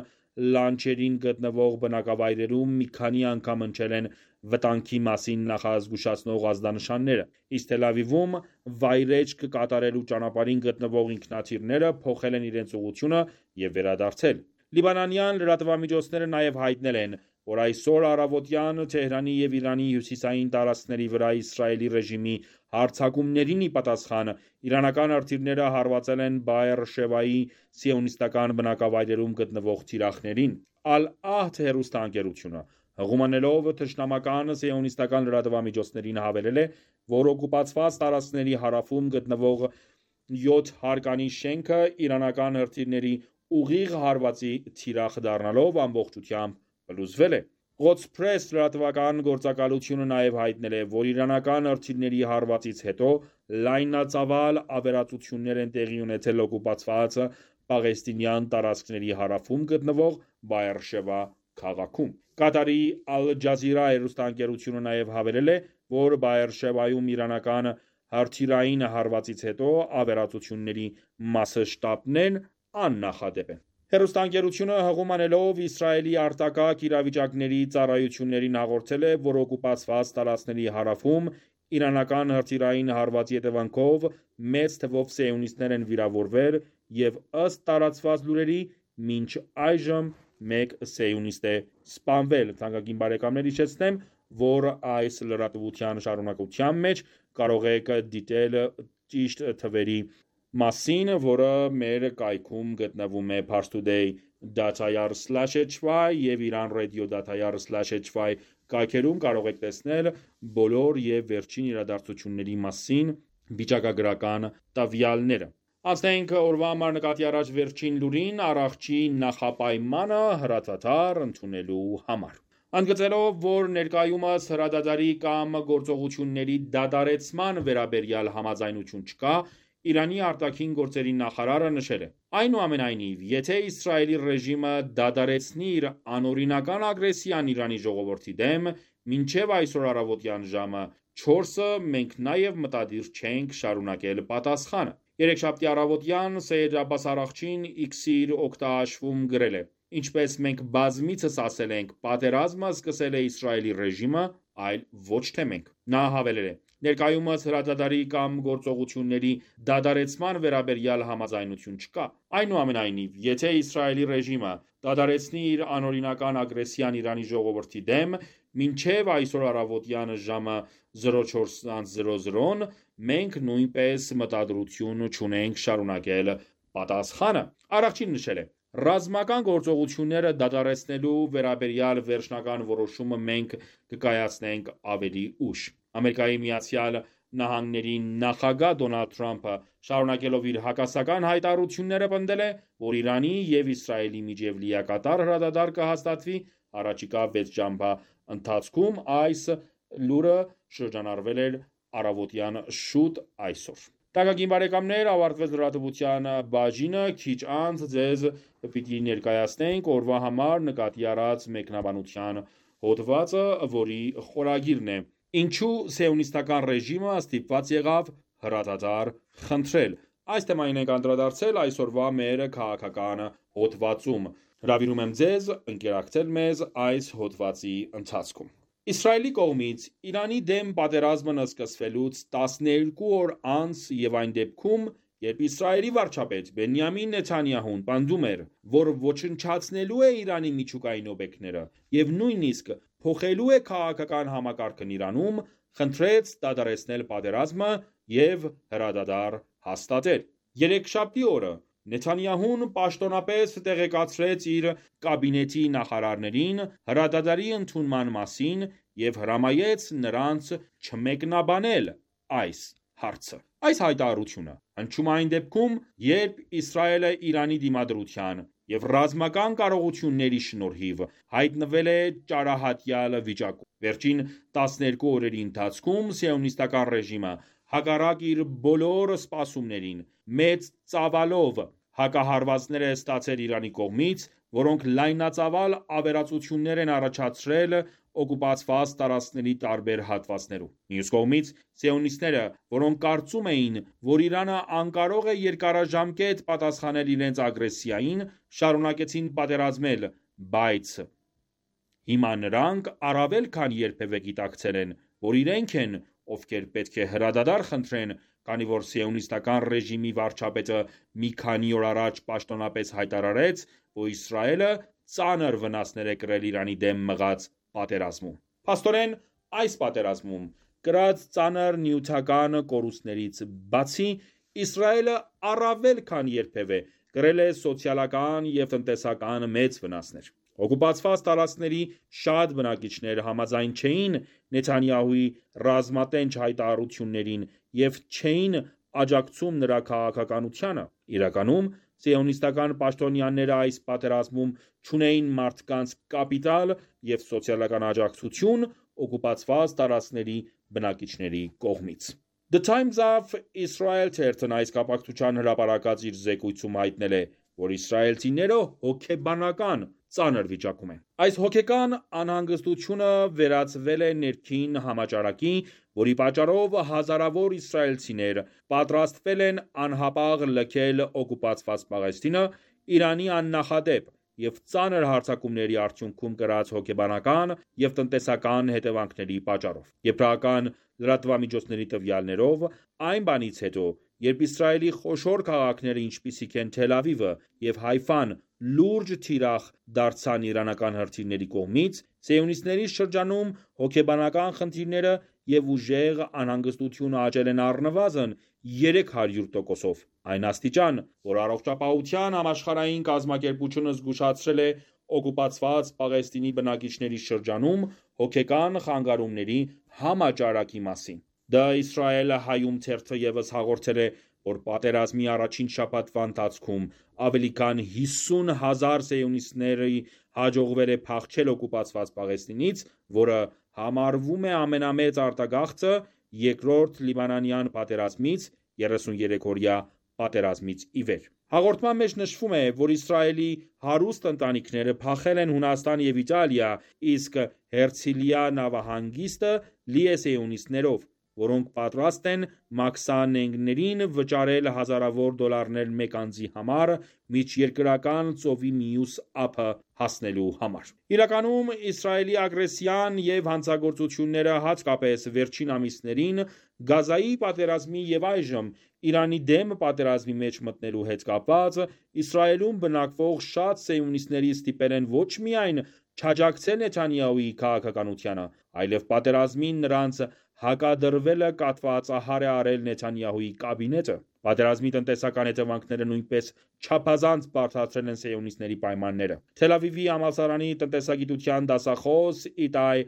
լանջերին գտնվող բնակավայրերում մի քանի անգամ հնչել են վտանգի մասին նախազգուշացնող ազդանշանները, իսկ Թել Ավիվում վայրէջք կատարելու ճանապարհին գտնվող ինքնաթիռները փոխել են իրենց ուղղությունը և վերադարձել»: Լիբանանյան լրատվամիջոցները նաև հայտնել են, որ այսօր առավոտյան Թեհրանի և Իրանի հյուսիսային տարածքների վրա Իսրայելի ռեժիմի հարձակումներին ի պատասխան, իրանական հրթիռները հարվածել են Բաեր Շևայի սիոնիստական բնակավայրերում գտնվող թիրախներին: Ալ-Ահդ հեռուստաընկերությունը հղում անելով թշնամական սիոնիստական լրատվամիջոցներին հավելել է, որ օկուպացված տարածքների հարավում գտնվող 7 հարկանի շենքը իրանական հրթիռների ուղիղ հարվածի թիրախ դառնալով ամբողջությամբ փլուզվել է: Quds Press լրատվական գործակալությունը նաև հայտնել է, որ իրանական հրթիռների հարվածից հետո լայնածավալ ավերածություններ են տեղի ունեցել օկուպացված պաղեստինյան տարածքների հարավում գտնվող Բաեր Շևա քաղաքում: Կատարի Ալ Ջազիրա հեռուստաընկերությունը նաև հավելել է, որ Բաեր Շևայում իրանական հրթիռային հարվածից հետո ավերածությունների մասշտաբներն աննախադեպ են: Հեռուստաընկերությունը հղում անելով Իսրայելի արտակարգ իրավիճակների ծառայություններին հաղորդել է, որ օկուպացված տարածքների հարավում իրանական հրթիռային հարվածի հետևանքով մեծ թվով սիոնիստներ են վիրավորվել և ըստ տարածված լուրերի, մինչ այժմ մեկ սիոնիստ է սպանվել: Թանկագին բարեկամներ հիշեցնեմ, որ այս լրատվության շարունակության մեջ կարող եք դիտել ճիշտ թվերի մասին, որը մեր կայքում գտնվում է parstoday.ir/hy և iranradio.ir/hy կայքերում կարող եք տեսնել բոլոր և վերջին իրադարձությունների մասին վիճակագրական տվյալները: Անցնենք օրվա համար նկատի առած վերջին լուրին՝ առողջի նախապայմանը հրատադար ընդունելու համար: Ընդգծելով, որ ներկայումս հրադադարի կամ գործողությունների դադարեցման վերաբերյալ համաձայնություն չկա, Իրանի արտաքին գործերի նախարարը նշել է. «Այնուամենայնիվ, եթե Իսրայելի ռեժիմը դադարեցնի իր անօրինական ագրեսիան Իրանի ժողովրդի դեմ մինչև այսօր առավոտյան ժամը 4-ը, մենք նաև մտադիր չենք շարունակել պատասխանը»: Երեքշաբթի առավոտյան Սեյեդ Աբբաս Արաղչին X-ի իր օգտահաշվում գրել է. «Ինչպես մենք բազմիցս ասել ենք, պատերազմը սկսել է Իսրայելի ռեժիմը, այլ ոչ թե մենք»: Նա հավելել է. «Ներկայումս հրադադարի կամ գործողությունների դադարեցման վերաբերյալ համաձայնություն չկա: Այնուամենայնիվ, եթե Իսրայելի ռեժիմը դադարեցնի իր անօրինական ագրեսիան Իրանի ժողովրդի դեմ մինչև այսօր առավոտյան ժամը 04:00, մենք նույնպես մտադրություն չունենք շարունակել պատասխանը»: Արաղչին նշել է. «Ռազմական գործողությունները դադարեցնելու վերաբերյալ վերջնական որոշումը մենք կկայացնենք ավելի ուշ»: ԱՄՆ նախագահ Դոնալդ Թրամփը շարունակելով իր հակասական հայտարարությունները պնդել է, որ Իրանի և Իսրայելի միջև լիակատար հրադադար կհաստատվի առաջիկա 6 ժամվա ընթացքում: Այս լուրը շրջանառվել էր առավոտյան շուտ այսօր: Թանկագին բարեկամներ, ավարտվեց լրատվության բաժինը, քիչ անց ձեզ պիտի ներկայացնենք օրվա համար նկատի առած մեկնաբանության հոդվածը, որի խորագիրն է «Ինչու սիոնիստական ռեժիմը ստիպված եղավ հրադադար խնդրել»։ Այս թեմային ենք անդրադարձել այսօրվա մեր քաղաքական հոդվածում։ Հրավիրում եմ ձեզ ընկերակցել մեզ այս հոդվածի ընթացքում։ Իսրայելի կողմից Իրանի դեմ պատերազմն սկսվելուց 12 օր անց և այն դեպքում, երբ Իսրայելի վարչապետ Բենյամին Նեթանյահուն պնդում էր, որ ոչնչացնելու է Իրանի միջուկային օբյեկտները և նույնիսկ փոխելու է քաղաքական համակարգն Իրանում, խնդրեց դադարեցնել պատերազմը և հրադադար հաստատել։ Երեքշաբթի օրը Նեթանյահուն պաշտոնապես տեղեկացրեց իր կաբինետի նախարարներին հրադադարի ընդունման մասին և հրամայեց նրանց չմեկնաբանել այս հարցը։ Այս հայտարարությունը հնչում է այն դեպքում, երբ Իսրայելը Իրանի դիմադրության և ռազմական կարողությունների շնորհիվ հայտնվել է ճարահատյալ վիճակում։ Վերջին 12 օրերի ընթացքում սիոնիստական ռեժիմը, հակառակ իր բոլոր սպասումներին, մեծ ծավալով հակահարվածներ է ստացել Իրանի կողմից, որոնք լայնածավալ ավերածություններ են առաջացրել օկուպացված տարածքների տարբեր հատվածներում։ Մյուս կողմից, սիոնիստները, որոնք կարծում էին, որ Իրանը անկարող է երկարաժամկետ պատասխանել իրենց ագրեսիային, շարունակեցին պատերազմել, բայց հիմա նրանք առավել քան երբևէ գիտակցել են, որ իրենք են, ովքեր պետք է հրադադար խնդրեն, քանի որ սիոնիստական ռեժիմի վարչապետը մի քանի օր առաջ պաշտոնապես հայտարարեց, որ Իսրայելը ծանր վնասներ է կրել Իրանի դեմ մղած պատերազմում։ Փաստորեն, այս պատերազմում կրած ծանր նյութական կորուստներից բացի, Իսրայելը առավել քան երբևէ կրել է սոցիալական և տնտեսական մեծ վնասներ։ Օկուպացված տարածքների շատ բնակիչներ համաձայն չէին Նեթանյահուի ռազմատենչ հայտարարություններին և չէին աջակցում նրա քաղաքականությանը։ Իրականում, սիոնիստական պաշտոնյաները այս պատերազմում չունեին մարդկանց կապիտալ և սոցիալական աջակցություն օկուպացված տարածքների բնակիչների կողմից։ The Times of Israel թերթն այս կապակցությամբ հրապարակած իր զեկույցում հայտնել է, որ իսրայելցիները հոգեբանական ծանր վիճակում են։ Այս հոգեկան անհանգստությունը վերածվել է ներքին համաճարակի, որի պատճառով հազարավոր իսրայելցիներ պատրաստվել են անհապաղ լքել օկուպացված Պաղեստինը Իրանի աննախադեպ և ծանր հարձակումների արդյունքում կրած հոգեբանական և տնտեսական հետևանքների պատճառով։ Եբրայական լրատվամիջոցների տվյալներով, այն բանից հետո, երբ Իսրայելի խոշոր քաղաքներ, ինչպիսիք են Թել Ավիվը և Հայֆան, լուրջ թիրախ դարձան իրանական հրթիռների կողմից, սիոնիստների շրջանում հոգեբանական խնդիրները և ուժեղ անհանգստությունը աճել են առնվազն 300%-ով, այն աստիճան, որ Առողջապահության համաշխարհային կազմակերպությունը զգուշացրել է օկուպացված Պաղեստինի բնակիչների շրջանում հոգեկան խանգարումների համաճարակի մասին։ The Israel Hayom թերթը ևս հաղորդել է, որ պատերազմի առաջին շաբաթվա ընթացքում ավելի քան 50,000 սիոնիստների հաջողվել է փախչել օկուպացված Պաղեստինից, որը համարվում է ամենամեծ արտագաղթը երկրորդ լիբանանյան պատերազմից 33-օրյա պատերազմից ի վեր։ Հաղորդման մեջ նշվում է, որ Իսրայելի հարուստ ընտանիքները փախել են Հունաստան և Իտալիա, իսկ Հերցիլիա նավահանգիստը լի է սիոնիստներով, որոնք պատրաստ են մաքսանենգներին վճարել հազարավոր դոլարներ մեկ անձի համար միջերկրական ծովի մյուս ափը հասնելու համար։ Իրականում, Իսրայելի ագրեսիան և հանցագործությունները, հատկապես վերջին ամիսներին Գազայի պատերազմի և այժմ Իրանի դեմ պատերազմի մեջ մտնելու հետ կապված, Իսրայելում բնակվող շատ սիոնիստների ստիպել են ոչ միայն չաջակցել Նեթանյահուի քաղաքականությանը, այլև պատերազմին նրանց հակադրվելը կատվածահար է արել Նեթանյահուի կաբինետը։ Պատերազմի տնտեսական հետևանքները նույնպես չափազանց բարդացրել են սիոնիստների պայմանները։ Թել Ավիվի համալսարանի տնտեսագիտության դասախոս Իտայ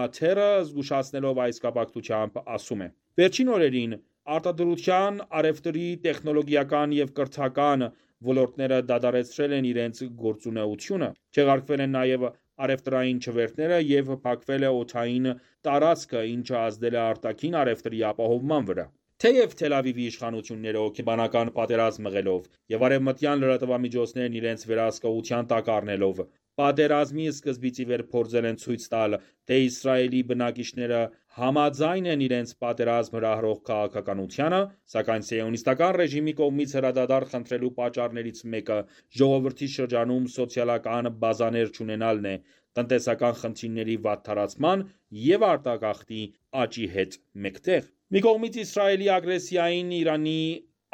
Աթերը զգուշացնելով այս կապակցությամբ ասում է. Վերջին օրերին արտադրության, առևտրի, տեխնոլոգիական և կրթական ոլորտները դադարեցրել են իրենց գործունեությունը, չեղարկվել են նաև առևտրային չվերթները և փակվել է օդային տարածքը, ինչը ազդել է արտաքին առևտրի ապահովման վրա։ Թեև Թել Ավիվի իշխանությունները հոգեբանական պատերազմ մղելով եւ արևմտյան լրատվամիջոցներն իրենց վերահսկողության տակ առնելով պատերազմի սկզբից ի վեր փորձել են ցույց տալ, թե Իսրայելի բնակիչները համաձայն են իրենց պատերազմ հրահրող քաղաքականությանը, սակայն սիոնիստական ռեժիմի կողմից հրադադար խնդրելու պատճառներից մեկը ժողովրդի շրջանում սոցիալական բազաներ չունենալն է, տնտեսական խնդիրների վատթարացման եւ արտագաղթի աճի հետ մեկտեղ։ Մի կողմից Իսրայելի ագրեսիային Իրանի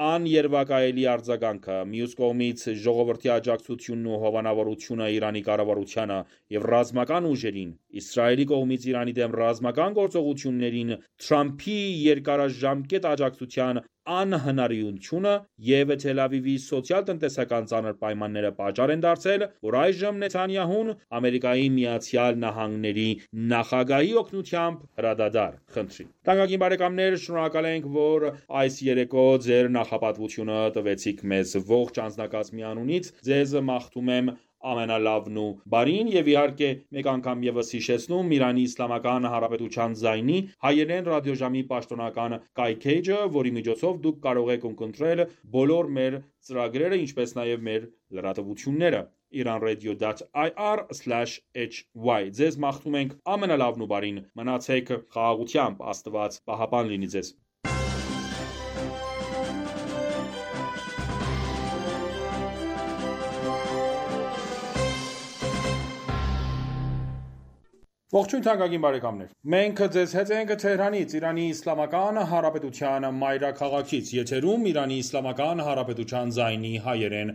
աներվակայելի արձագանքը, մյուս կողմից ժողովրդի աջակցությունն ու հովանավորությունը Իրանի կառավարությանը եւ ռազմական ուժերին, Իսրայելի կողմից Իրանի դեմ ռազմական գործողություններին Թրամփի երկարաժամկետ աջակցության անհնարինությունը եւ Թել Ավիվի սոցիալ-տնտեսական ծանր պայմանները պատճառ են դարձել, որ այժմ Նեթանյահուն Ամերիկայի Միացյալ Նահանգների նախագահի օգնությամբ հրադադար խնդրի։ Թանկագին բարեկամներ, շնորհակալ ենք, որ այս երեկո ձեր նախապատվությունը տվեցիք մեզ ողջ անձնակազմի անունից։ Ձեզ մաղթում եմ ամենալավն ու բարին եւ իհարկե մեկ անգամ եւս հիշեցնում Իրանի Իսլամական Հանրապետության ձայնի հայերեն ռադիոժամի պաշտոնական կայքեջը, որի միջոցով դուք կարող եք ունկնդրել բոլոր մեր ծրագրերը, ինչպես նաեւ մեր լրատվությունները iranradio.ir/hy Ձեզ մաղթում ենք ամենալավն ու բարին, մնացեք խաղաղությամբ, Աստված պահապան լինի ձեզ։ Ողջույն թանկագին բարեկամներ։ Մենք ձեզ հետ ենք Թեհրանից, Իրանի Իսլամական Հանրապետության մայրաքաղաքից, եթերում Իրանի Իսլամական Հանրապետության ձայնի հայերեն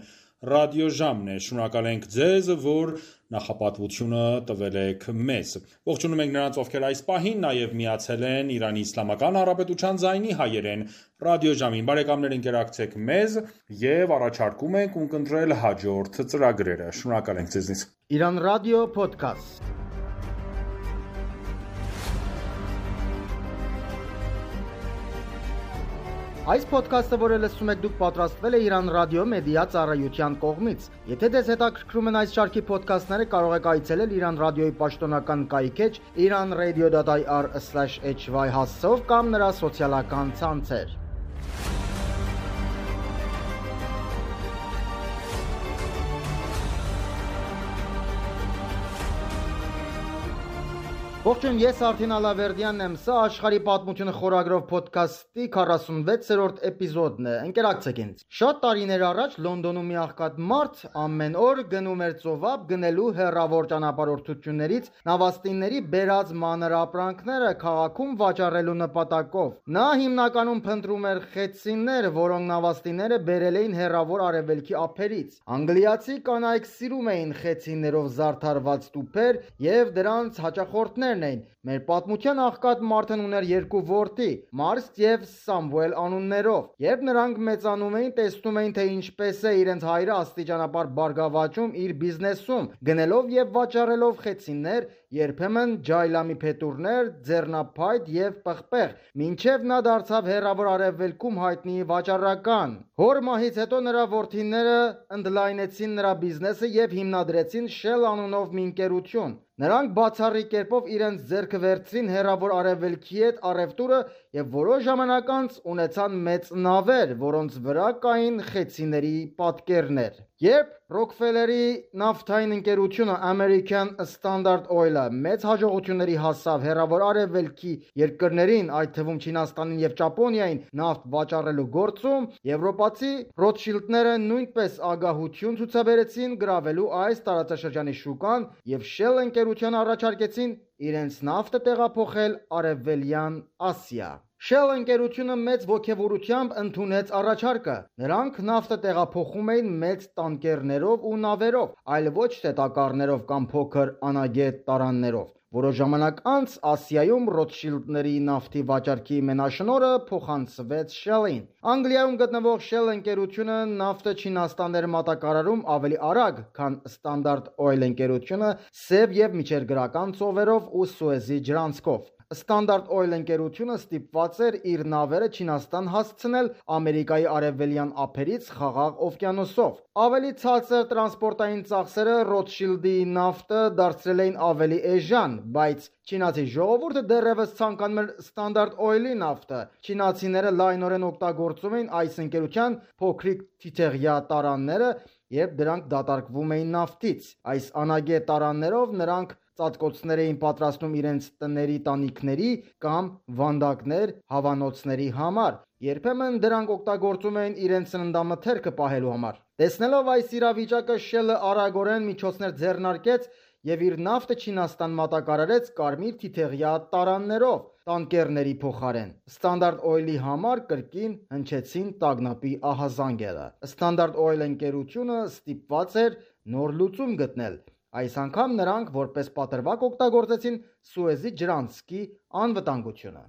ռադիոժամն է։ Շնորհակալ ենք ձեզ, որ նախապատվությունը տվել եք մեզ։ Ողջունում ենք նրանց, ովքեր այս պահին նաև միացել են Իրանի Իսլամական Հանրապետության ձայնի հայերեն ռադիոժամին։ Բարեկամներ, ընկերակցեք մեզ եւ առաջարկում ենք ունկնդրել հաջորդ ծրագրերը։ Շնորհակալ ենք ձեզնից։ Իրան ռադիո փոդքասթ։ Այս ոդքասթը, որը լսում եք դուք, պատրաստվել է Իրան ռադիո մեդիա ծառայության կողմից։ Եթե ձեզ հետաքրքրում են այս շարքի ոդքասթները, կարող եք այցելել Իրան ռադիոյի պաշտոնական կայքեջ iranradio.ir/hy հասցեով կամ նրա սոցիալական ցանցեր։ Ողջույն, ես Արթին Ալավերդյանն եմ, սա աշխարհի պատմությունը խորագրով ոդքասթի 46-րդ էպիզոդն է, ընկերակցեք ինձ։ Շատ տարիներ առաջ Լոնդոնում մի աղքատ մարդ ամեն օր գնում էր ծովափ գնելու հեռավոր ճանապարհորդություններից նավաստիների բերած մանր ապրանքները քաղաքում վաճառելու նպատակով։ Նա հիմնականում փնտրում էր խեցցիներ, որոնք նավաստիները բերել էին հեռավոր արևելքի ափերից։ Անգլիացի կանայք սիրում էին խեցցիներով զարդարված տուփեր եւ դրանց հաճախորդներ էին։ Մեր պատմության աղքատ մարդն ուներ երկու որդի՝ Մարստ եւ Սամվել անուններով։ Երբ նրանք մեծանում էին, տեսնում էին, թե ինչպես է իրենց հայրը աստիճանաբար բարգավաճում իր բիզնեսում, գնելով եւ վաճառելով խեցիներ, երբեմն ջայլամի փետուրներ, ձեռնափայտ եւ պղպեղ, մինչեւ նա դարձավ հեռավոր արևելքում հայտնի վաճառական։ Հոր մահից հետո նրա որդիները ընդլայնեցին նրա բիզնեսը եւ հիմնադրեցին Shell անունով մի ընկերություն։ Նրանք բացառիկ կերպով իրենց ձեռքը վերցրին հեռավոր արևելքի հետ առևտուրը եւ որոշ ժամանակ անց ունեցան մեծ նավեր, որոնց վրա կային խեցիների պատկերներ։ Երբ Ռոքֆելերի նավթային ընկերությունը American Standard Oil-ը մեծ հաջողությունների հասավ հեռավոր արևելքի երկրներին, այդ թվում Չինաստանին եւ Ճապոնիային նավթ վաճառելու գործում, եվրոպացի Ռոթշիլդները նույնպես ագահություն ցուցաբերեցին գրավելու այս տարածաշրջանի շուկան եւ Shell ընկերության առաջարկեցին իրենց նավթը տեղափոխել արևելյան Ասիա։ Shell ընկերությունը մեծ ոգևորությամբ ընդունեց առաջարկը։ Նրանք նավթը տեղափոխում էին մեծ տանկերներով ու նավերով, այլ ոչ թե տակառներով կամ փոքր անագետ տարաններով։ Որոշ ժամանակ անց Ասիայում Ռոթշիլդների նավթի վաճառքի մենաշնորհը փոխանցվեց Shell-ին։ Անգլիայում գտնվող Shell ընկերությունը նավթը Չինաստան էր մատակարարում ավելի արագ, քան Standard Oil ընկերությունը սև եւ միջերգրական ծովերով ու Սուեզի ջրանցքով։ Standard Oil ընկերությունը ստիպված էր իր նավերը Չինաստան հասցնել Ամերիկայի արևելյան ափերից Խաղաղ օվկիանոսով։ Ավելի ցածր տրանսպորտային ծախսերը Rothschild-ի նավթը դարձրել էին ավելի էժան, բայց չինացի ժողովուրդը դեռևս ցանկանում էր Standard Oil-ի նավթը։ Չինացիները լայնորեն օգտագործում էին այս ընկերության փոքրիկ թիթեղյա տարանները, երբ դրանք դատարկվում էին նավթից։ Այս անագե տարաններով նրանք ծածկոցներ էին պատրաստում իրենց տների տանիքների կամ վանդակներ հավանոցների համար։ Երբեմն դրանք օգտագործում էին իրենց սննդամթերքը պահելու համար։ Տեսնելով այս իրավիճակը, Shell-ը արագորեն միջոցներ ձեռնարկեց եւ իր նավթը Չինաստան մատակարարեց կարմիր թիթեղյա տարաններով տանկերների փոխարեն։ Standard Oil-ի համար կրկին հնչեցին տագնապի ահազանգերը։ Standard Oil ընկերությունը ստիպված էր նոր լուծում գտնել։ Այս անգամ նրանք որպես պատրվակ օգտագործեցին Սուեզի ջրանցքի անվտանգությունը։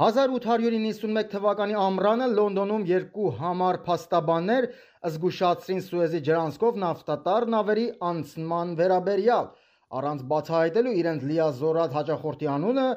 1891 թվականի ամռանը Լոնդոնում երկու համառ փաստաբաններ զգուշացրին Սուեզի ջրանցքով նավթատար նավերի անցման վերաբերյալ։ Առանց բացահայտելու իրենց լիազորած հաճախորդի անունը,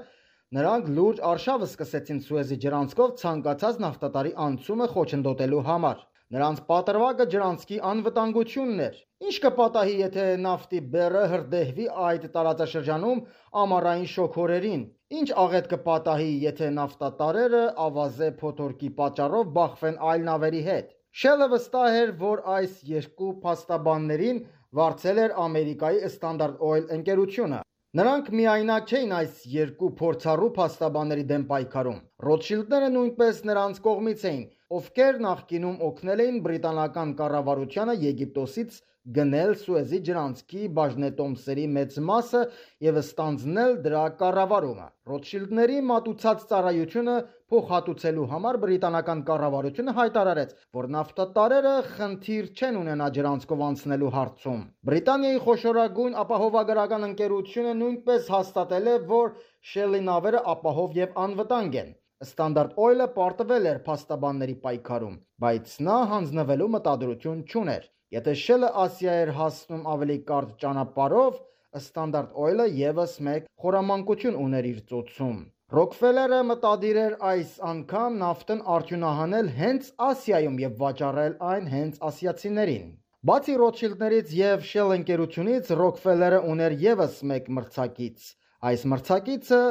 նրանք լուրջ արշավ սկսեցին Սուեզի ջրանցքով ցանկացած նավթատարի անցումը խոչընդոտելու համար։ Նրանց պատրվակը ջրանցքի անվտանգությունն էր։ Ինչ կպատահի, եթե նավթի բեռը հրդեհվի այդ տարածաշրջանում ամառային շոգորերին։ Ինչ աղետ կպատահի, եթե նավթատարերը ավազե փոթորկի պատճառով բախվեն այլ նավերի հետ։ Shell-ը վստահ էր, որ այս երկու փաստաբաններին վարձել էր Ամերիկայի Standard Oil ընկերությունը։ Նրանք միայնակ չէին այս երկու փորձառու փաստաբանների դեմ պայքարում։ Rothschild-ները նույնպես նրանց կողմից էին, ովքեր նախկինում օգնել էին բրիտանական կառավարությանը Եգիպտոսից գնել Սուեզի ջրանցքի բաժնետոմսերի մեծ մասը եւ ստանձնել դրա կառավարումը։ Rothschild-ների մատուցած ծառայությունը փոխհատուցելու համար բրիտանական կառավարությունը հայտարարեց, որ նավթատարերը խնդիր չեն ունենա ջրանցքով անցնելու հարցում։ Բրիտանիայի խոշորագույն ապահովագրական ընկերությունը նույնպես հաստատել է, որ Shell-ի նավերը ապահով եւ անվտանգ են։ Standard Oil-ը պարտվել էր փաստաբանների պայքարում, բայց նա հանձնվելու մտադրություն չուներ։ Եթե Shell-ը Ասիա էր հասնում ավելի կարճ ճանապարհով, Standard Oil-ը եւս մեկ խորամանկություն ուներ իր ծոցում։ Rockefeller-ը մտադիր էր այս անգամ նավթն արդյունահանել հենց Ասիայում եւ վաճառել այն հենց ասիացիներին։ Բացի Rothschild-ներից եւ Shell ընկերությունից, Rockefeller-ը ուներ եւս մեկ մրցակից։ Այս մրցակիցը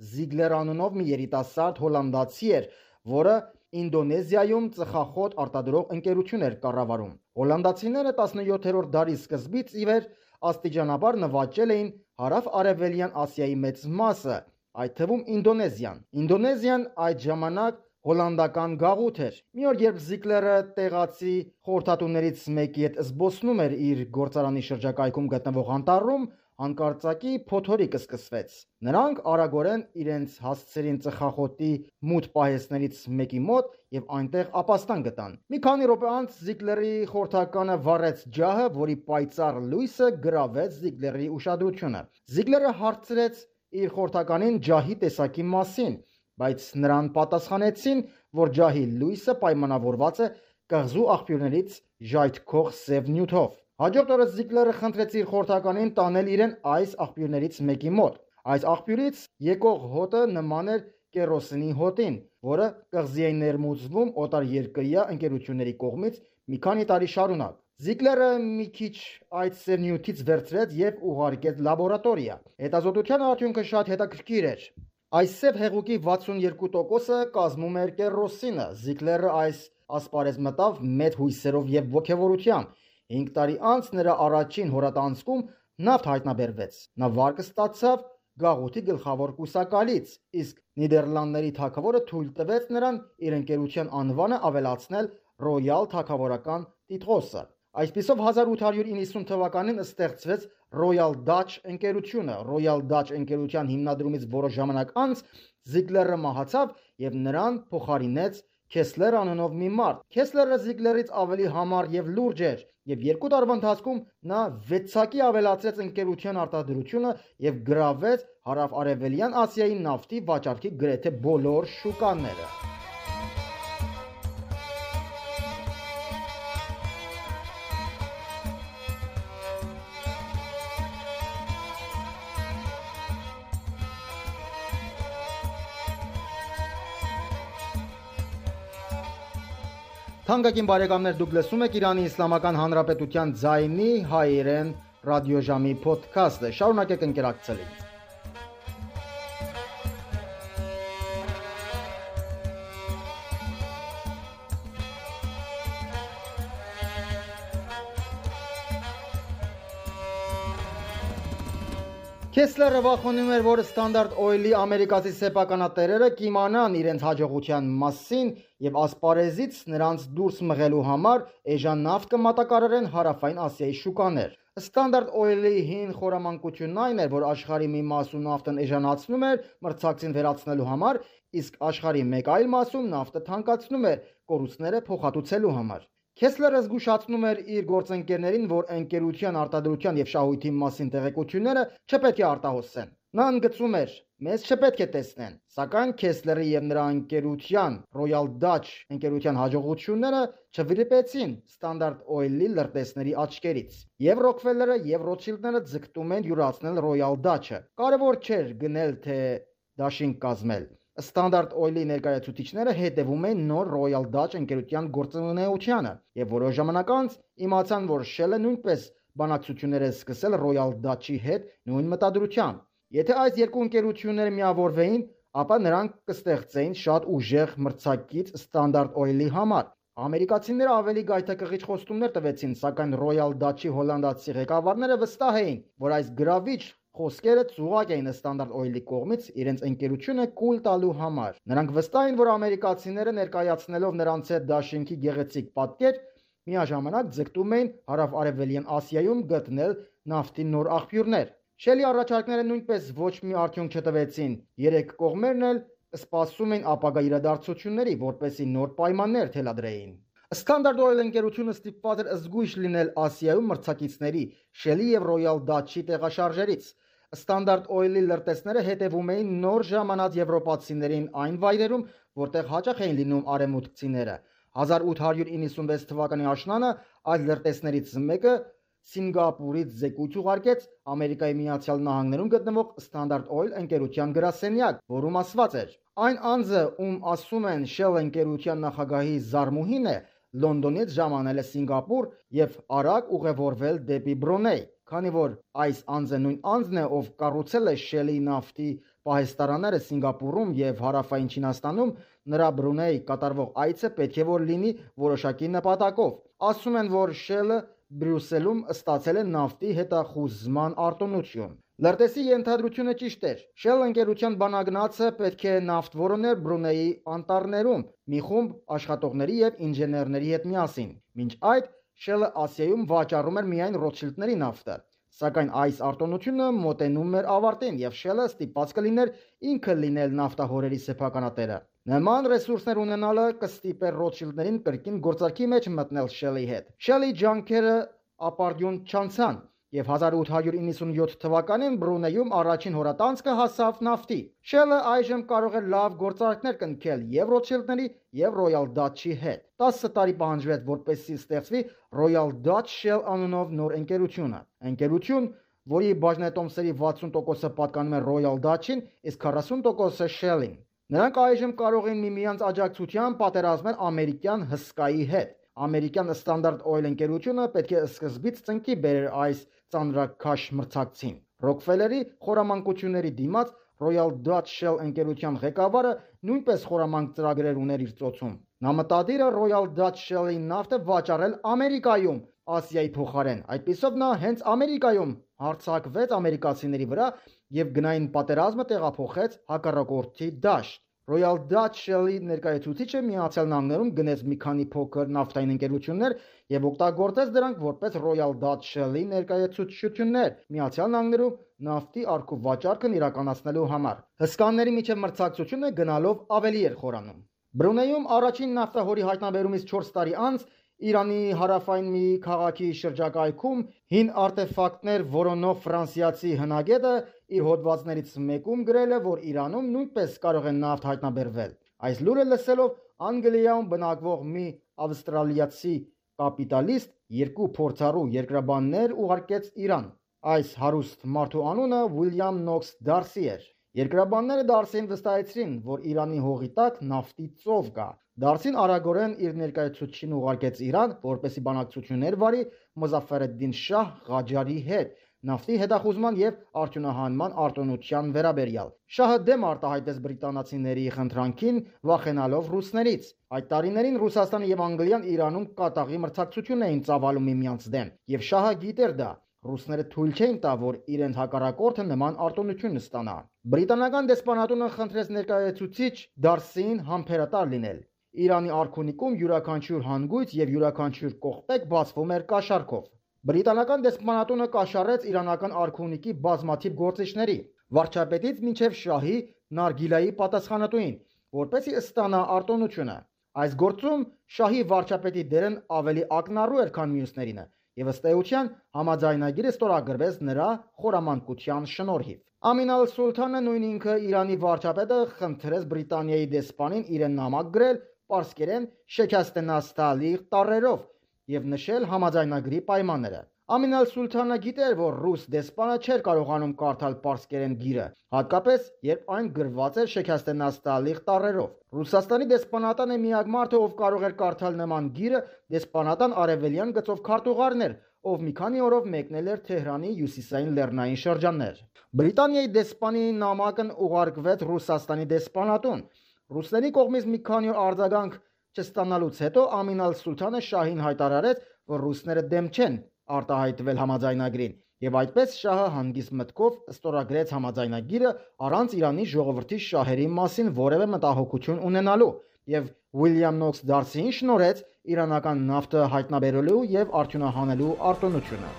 Ziegler անունով մի երիտասարդ հոլանդացի էր, որը Ինդոնեզիայում ծխախոտ արտադրող ընկերություն էր կառավարում։ Հոլանդացիները 17-րդ դարի սկզբից ի վեր աստիճանաբար նվաճել էին հարավ-արևելյան Ասիայի մեծ մասը, այդ թվում Ինդոնեզիան։ Ինդոնեզիան այդ ժամանակ հոլանդական գաղութ էր։ Մի օր, երբ Ziegler-ը տեղացի խորհրդատուներից մեկի հետ զբոսնում էր իր գործարանի շրջակայքում գտնվող անտառում, հանկարծակի փոթորիկ սկսվեց։ Նրանք արագորեն իրենց հասցրին ծխախոտի մութ պահեսներից մեկի մոտ եւ այնտեղ ապաստան գտան։ Մի քանի րոպե անց Ziegler-ի խորհրդականը վառեց ջահը, որի պայծառ լույսը գրավեց Ziegler-ի ուշադրությունը։ Ziegler-ը հարցրեց իր խորհրդականին ջահի տեսակի մասին, բայց նրան պատասխանեցին, որ ջահի լույսը պայմանավորված է կղզու աղբյուրներից ժայթքող սև նյութով։ Հաջորդ օրը Ziegler-ը խնդրեց իր խորհրդականին տանել իրեն այս աղբյուրներից մեկի մոտ։ Այս աղբյուրից եկող հոտը նման էր կերոսինի հոտին, որը կղզի է ներմուծվում օտարերկրյա ընկերությունների կողմից մի քանի տարի շարունակ։ Ziegler-ը մի քիչ այդ սև նյութից վերցրեց եւ ուղարկեց լաբորատորիա։ Հետազոտության արդյունքը շատ հետաքրքիր էր։ Այս սև հեղուկի 62%-ը կազմում էր կերոսինը։ Ziegler-ը այս ասպարեզ մտավ մեծ հույսերով եւ ոգևորությամբ։ 5 տարի անց նրա առաջին հորատանցքում նավթ հայտնաբերվեց։ Նա վարկը ստացավ գաղութի գլխավոր կուսակալից, իսկ Նիդերլանդների թագավորը թույլ տվեց նրան իր ընկերության անվանը ավելացնել Royal թագավորական տիտղոսը։ Այսպիսով 1890 թվականին ստեղծվեց Royal Dutch ընկերությունը։ Royal Dutch ընկերության հիմնադրումից որոշ ժամանակ անց Ziegler-ը մահացավ եւ նրան փոխարինեց Kessler անունով մի մարդ։ Kessler-ը Ziegler-ից ավելի համառ եւ լուրջ էր եւ 2 տարվա ընթացքում նա 6-ակի ավելացրեց ընկերության արտադրությունը եւ գրավեց հարավ-արևելյան Ասիայի նավթի վաճառքի գրեթե բոլոր շուկաները։ Թանկագին բարեկամներ, դուք լսում եք Իրանի Իսլամական Հանրապետության ձայնի հայերեն ռադիոժամի ոդքասթը։ Շարունակեք ընկերակցել ինձ։ Քեսլերը վախենում էր, որ Standard Oil-ի ամերիկացի սեփականատերերը կիմանան իրենց հաջողության մասին եւ ասպարեզից նրանց դուրս մղելու համար էժան նավթ կմատակարարեն Հարավային Ասիայի շուկաներ։ Standard Oil-ի հին խորամանկությունն այն էր, որ աշխարհի մի մասում նավթն էժանացնում էր մրցակցին վերացնելու համար, իսկ աշխարհի մեկ այլ մասում նավթը թանկացնում էր կորուստները փոխհատուցելու համար։ Քեսլերը զգուշացնում էր իր գործընկերներին, որ ընկերության արտադրության եւ շահույթի մասին տեղեկությունները չպետք է արտահոսեն։ Նա ընդգծում էր. «Մեզ չպետք է տեսնեն», սակայն Քեսլերի եւ նրա ընկերության Royal Dutch ընկերության հաջողությունները չվրիպեցին Standard Oil-ի լրտեսների աչքերից։ Եվ Rockefeller-ը եւ Rothschild-ները ձգտում են յուրացնել Royal Dutch-ը։ Կարևոր չէր գնել թե դաշինք կազմել։ Standard Oil-ի ներկայացուցիչները հետևում են նոր Royal Dutch ընկերության գործունեությանը եւ որոշ ժամանակ անց իմացան, որ Shell-ը նույնպես բանակցություններ է սկսել Royal Dutch-ի հետ նույն մտադրությամբ։ Եթե այս երկու ընկերությունները միավորվեին, ապա նրանք կստեղծեին շատ ուժեղ մրցակից Standard Oil-ի համար։ Ամերիկացիները ավելի գայթակղիչ խոստումներ տվեցին, սակայն Royal Dutch-ի հոլանդացի ղեկավարները վստահ էին, որ այս գրավիչ խոսքերը ծուղակ էին Standard Oil-ի կողմից իրենց ընկերությունը կուլ տալու համար։ Նրանք վստահ էին, որ ամերիկացիները ներկայացնելով նրանց հետ դաշինքի գեղեցիկ պատկեր, միաժամանակ ձգտում էին հարավ-արևելյան Ասիայում գտնել նավթի նոր աղբյուրներ։ Shell-ի առաջարկները նույնպես ոչ մի արդյունք չտվեցին։ Երեք կողմերն էլ սպասում էին ապագա իրադարձությունների, որպեսզի նոր պայմաններ թելադրեին։ Standard Oil ընկերությունը ստիպված էր զգույշ լինել Ասիայում մրցակիցների Shell-ի եւ Royal Dutch-ի տեղաշարժերից։ Standard Oil-ի լրտեսները հետևում էին նոր ժամանած եվրոպացիներին այն վայրերում, որտեղ հաճախ էին լինում արևմուտքցիները։ 1896 թվականի աշնանը այս լրտեսներից մեկը Սինգապուրից զեկույց ուղարկեց Ամերիկայի Միացյալ Նահանգներում գտնվող Standard Oil ընկերության գրասենյակ, որում ասված էր. «Այն անձը, ում ասում են Shell ընկերության նախագահի զարմուհին է, Լոնդոնից ժամանել է Սինգապուր եւ արագ ուղևորվել դեպի Բրունեյ, քանի որ այս անձը նույն անձն է, ով կառուցել է Shell-ի նավթի պահեստարանները Սինգապուրում եւ Հարավային Չինաստանում, նրա Բրունեյ կատարվող այցը պետք է որ լինի որոշակի նպատակով։ Ասում են, որ Shell-ը Բրյուսելում ստացել է նավթի հետախուզման արտոնություն»։ Լրտեսի ենթադրությունը ճիշտ էր։ Shell ընկերության բանագնացը պետք է նավթ որոներ Բրունեյի անտառներում մի խումբ աշխատողների եւ ինժեներների հետ միասին։ Մինչ այդ Shell-ը Ասիայում վաճառում էր միայն Rothschild-ների նավթը։ Սակայն այս արտոնությունը մոտենում էր ավարտին եւ Shell-ը ստիպված կլիներ ինքը լինել նավթահորերի սեփականատերը։ Նման ռեսուրսներ ունենալը կստիպեր Rothschild-ներին կրկին գործարքի մեջ մտնել Shell-ի հետ։ Shell-ի ջանքերը ապարդյուն չանցան եւ 1897 թվականին Բրունեյում առաջին հորատանցքը հասավ նավթի։ Shell-ը այժմ կարող էր լավ գործարքներ կնքել եւ Rothschild-ների եւ Royal Dutch-ի հետ։ 10 տարի պահանջվեց, որպեսզի ստեղծվի Royal Dutch Shell անունով նոր ընկերություն, որի բաժնետոմսերի 60%-ը պատկանում է Royal Dutch-ին, իսկ 40%-ը Shell-ին։ Նրանք այժմ կարող են միմյանց աջակցությամբ պատերազմել ամերիկյան հսկայի հետ։ Ամերիկյան Standard Oil ընկերությունը պետք է սկզբից ծնկի բերեր այս ծանրաքաշ մրցակցին։ Rockefeller-ի խորամանկությունների դիմաց Royal Dutch Shell ընկերության ղեկավարը նույնպես խորամանկ ծրագրեր ուներ իր ծոցում։ Նա մտադիր է Royal Dutch Shell-ի նավթը վաճառել Ամերիկայում Ասիայի փոխարեն։ Այդպիսով նա հենց Ամերիկայում հարձակվեց ամերիկացիների վրա եւ գնային պատերազմը տեղափոխեց հակառակորդի դաշտ։ Royal Dutch Shell-ի ներկայացուցիչը Միացյալ Նահանգներում գնեց մի քանի փոքր նավթային ընկերություններ եւ օգտագործեց դրանք որպես Royal Dutch Shell-ի ներկայացուցչություններ Միացյալ Նահանգներում նավթի առքու վաճառքն իրականացնելու համար։ Հսկաների միջև մրցակցությունը գնալով ավելի էր խորանում։ Բրունեյում առաջին նավթահորի հայտնաբերումից 4 տարի անց Իրանի հարավային մի քաղաքի շրջակայքում հին արտեֆակտներ որոնող ֆրանսիացի հնագետը իր հոդվածներից մեկում գրել է, որ Իրանում նույնպես կարող է նավթ հայտնաբերվել։ Այս լուրը լսելով Անգլիայում բնակվող մի ավստրալիացի կապիտալիստ երկու փորձառու երկրաբաններ ուղարկեց Իրան։ Այս հարուստ մարդու անունը Ուիլյամ Նոքս Դարսի էր։ Երկրաբանները Դարսին վստահեցրին, որ Իրանի հողի տակ նավթի ծով կա։ Դարսին արագորեն իր ներկայացուցչին ուղարկեց Իրան, որպեսզի բանակցություններ վարի Մոզաֆեր ալ-Դին Շահ Ղաջարի հետ նավթի հետախուզման եւ արդյունահանման արտոնության վերաբերյալ։ Շահը դեմ արտահայտեց բրիտանացիների խնդրանքին, վախենալով ռուսներից։ Այդ տարիներին Ռուսաստանը եւ Անգլիան Իրանում կատաղի մրցակցություն էին ծավալում միմյանց դեմ, եւ Շահը գիտեր դա։ Ռուսները թույլ չէին տա, որ իրենց հակառակորդը նման արտոնություն ստանա։ Բրիտանական դեսպանատունը խնդրեց ներկայացուցիչ Դարսին համբերատար լինել։ Իրանի արքունիկում յուրաքանչյուր հանգույց եւ յուրաքանչյուր կողպեկ բացվում էր կաշառքով։ Բրիտանական դեսպանատունը կաշառեց իրանական արքունիկի բազմաթիվ գործիչների, վարչապետից մինչև շահի նարգիլայի պատասխանատուին, որպեսզի ստանա արտոնությունը։ Այս գործում շահի վարչապետի դերն ավելի ակնառու էր, քան մյուսներինը, եւ ըստ էության համաձայնագիրը ստորագրվեց նրա խորամանկության շնորհիվ։ Ամին ալ-Սուլթանը նույն ինքը Իրանի վարչապետը խնդրեց Բրիտանիայի դեսպանին իրեն նամակ գրել պարսկերեն շեքաստենաստալի տառերով եւ նշել համաձայնագրի պայմանները։ Ամին ալ-Սուլթանը գիտեր, որ ռուս դեսպանը չէր կարողանում կարդալ պարսկերեն գիրը, հատկապես երբ այն գրված էր շեքաստենաստալի տառերով։ Ռուսաստանի դեսպանատանը միակ մարդը, ով կարող էր կարդալ նման գիրը, դեսպանատան արևելյան գծով քարտուղարն էր, ով մի քանի օրով մեկնել էր Թեհրանի հյուսիսային լեռնային շրջաններ։ Բրիտանիայի դեսպանի նամակն ուղարկվեց Ռուսաստանի դեսպանատուն։ Ռուսների կողմից մի քանի օր արձագանք չստանալուց հետո Ամին ալ-Սուլթանը շահին հայտարարեց, որ ռուսները դեմ չեն արտահայտվել համաձայնագրին, եւ այդպես շահը հանգիստ մտքով ստորագրեց համաձայնագիրը առանց Իրանի ժողովրդի շահերի մասին որևէ մտահոգություն ունենալու եւ Ուիլյամ Նոքս Դարսիին շնորհեց իրանական նավթը հայտնաբերելու եւ արդյունահանելու արտոնությունը։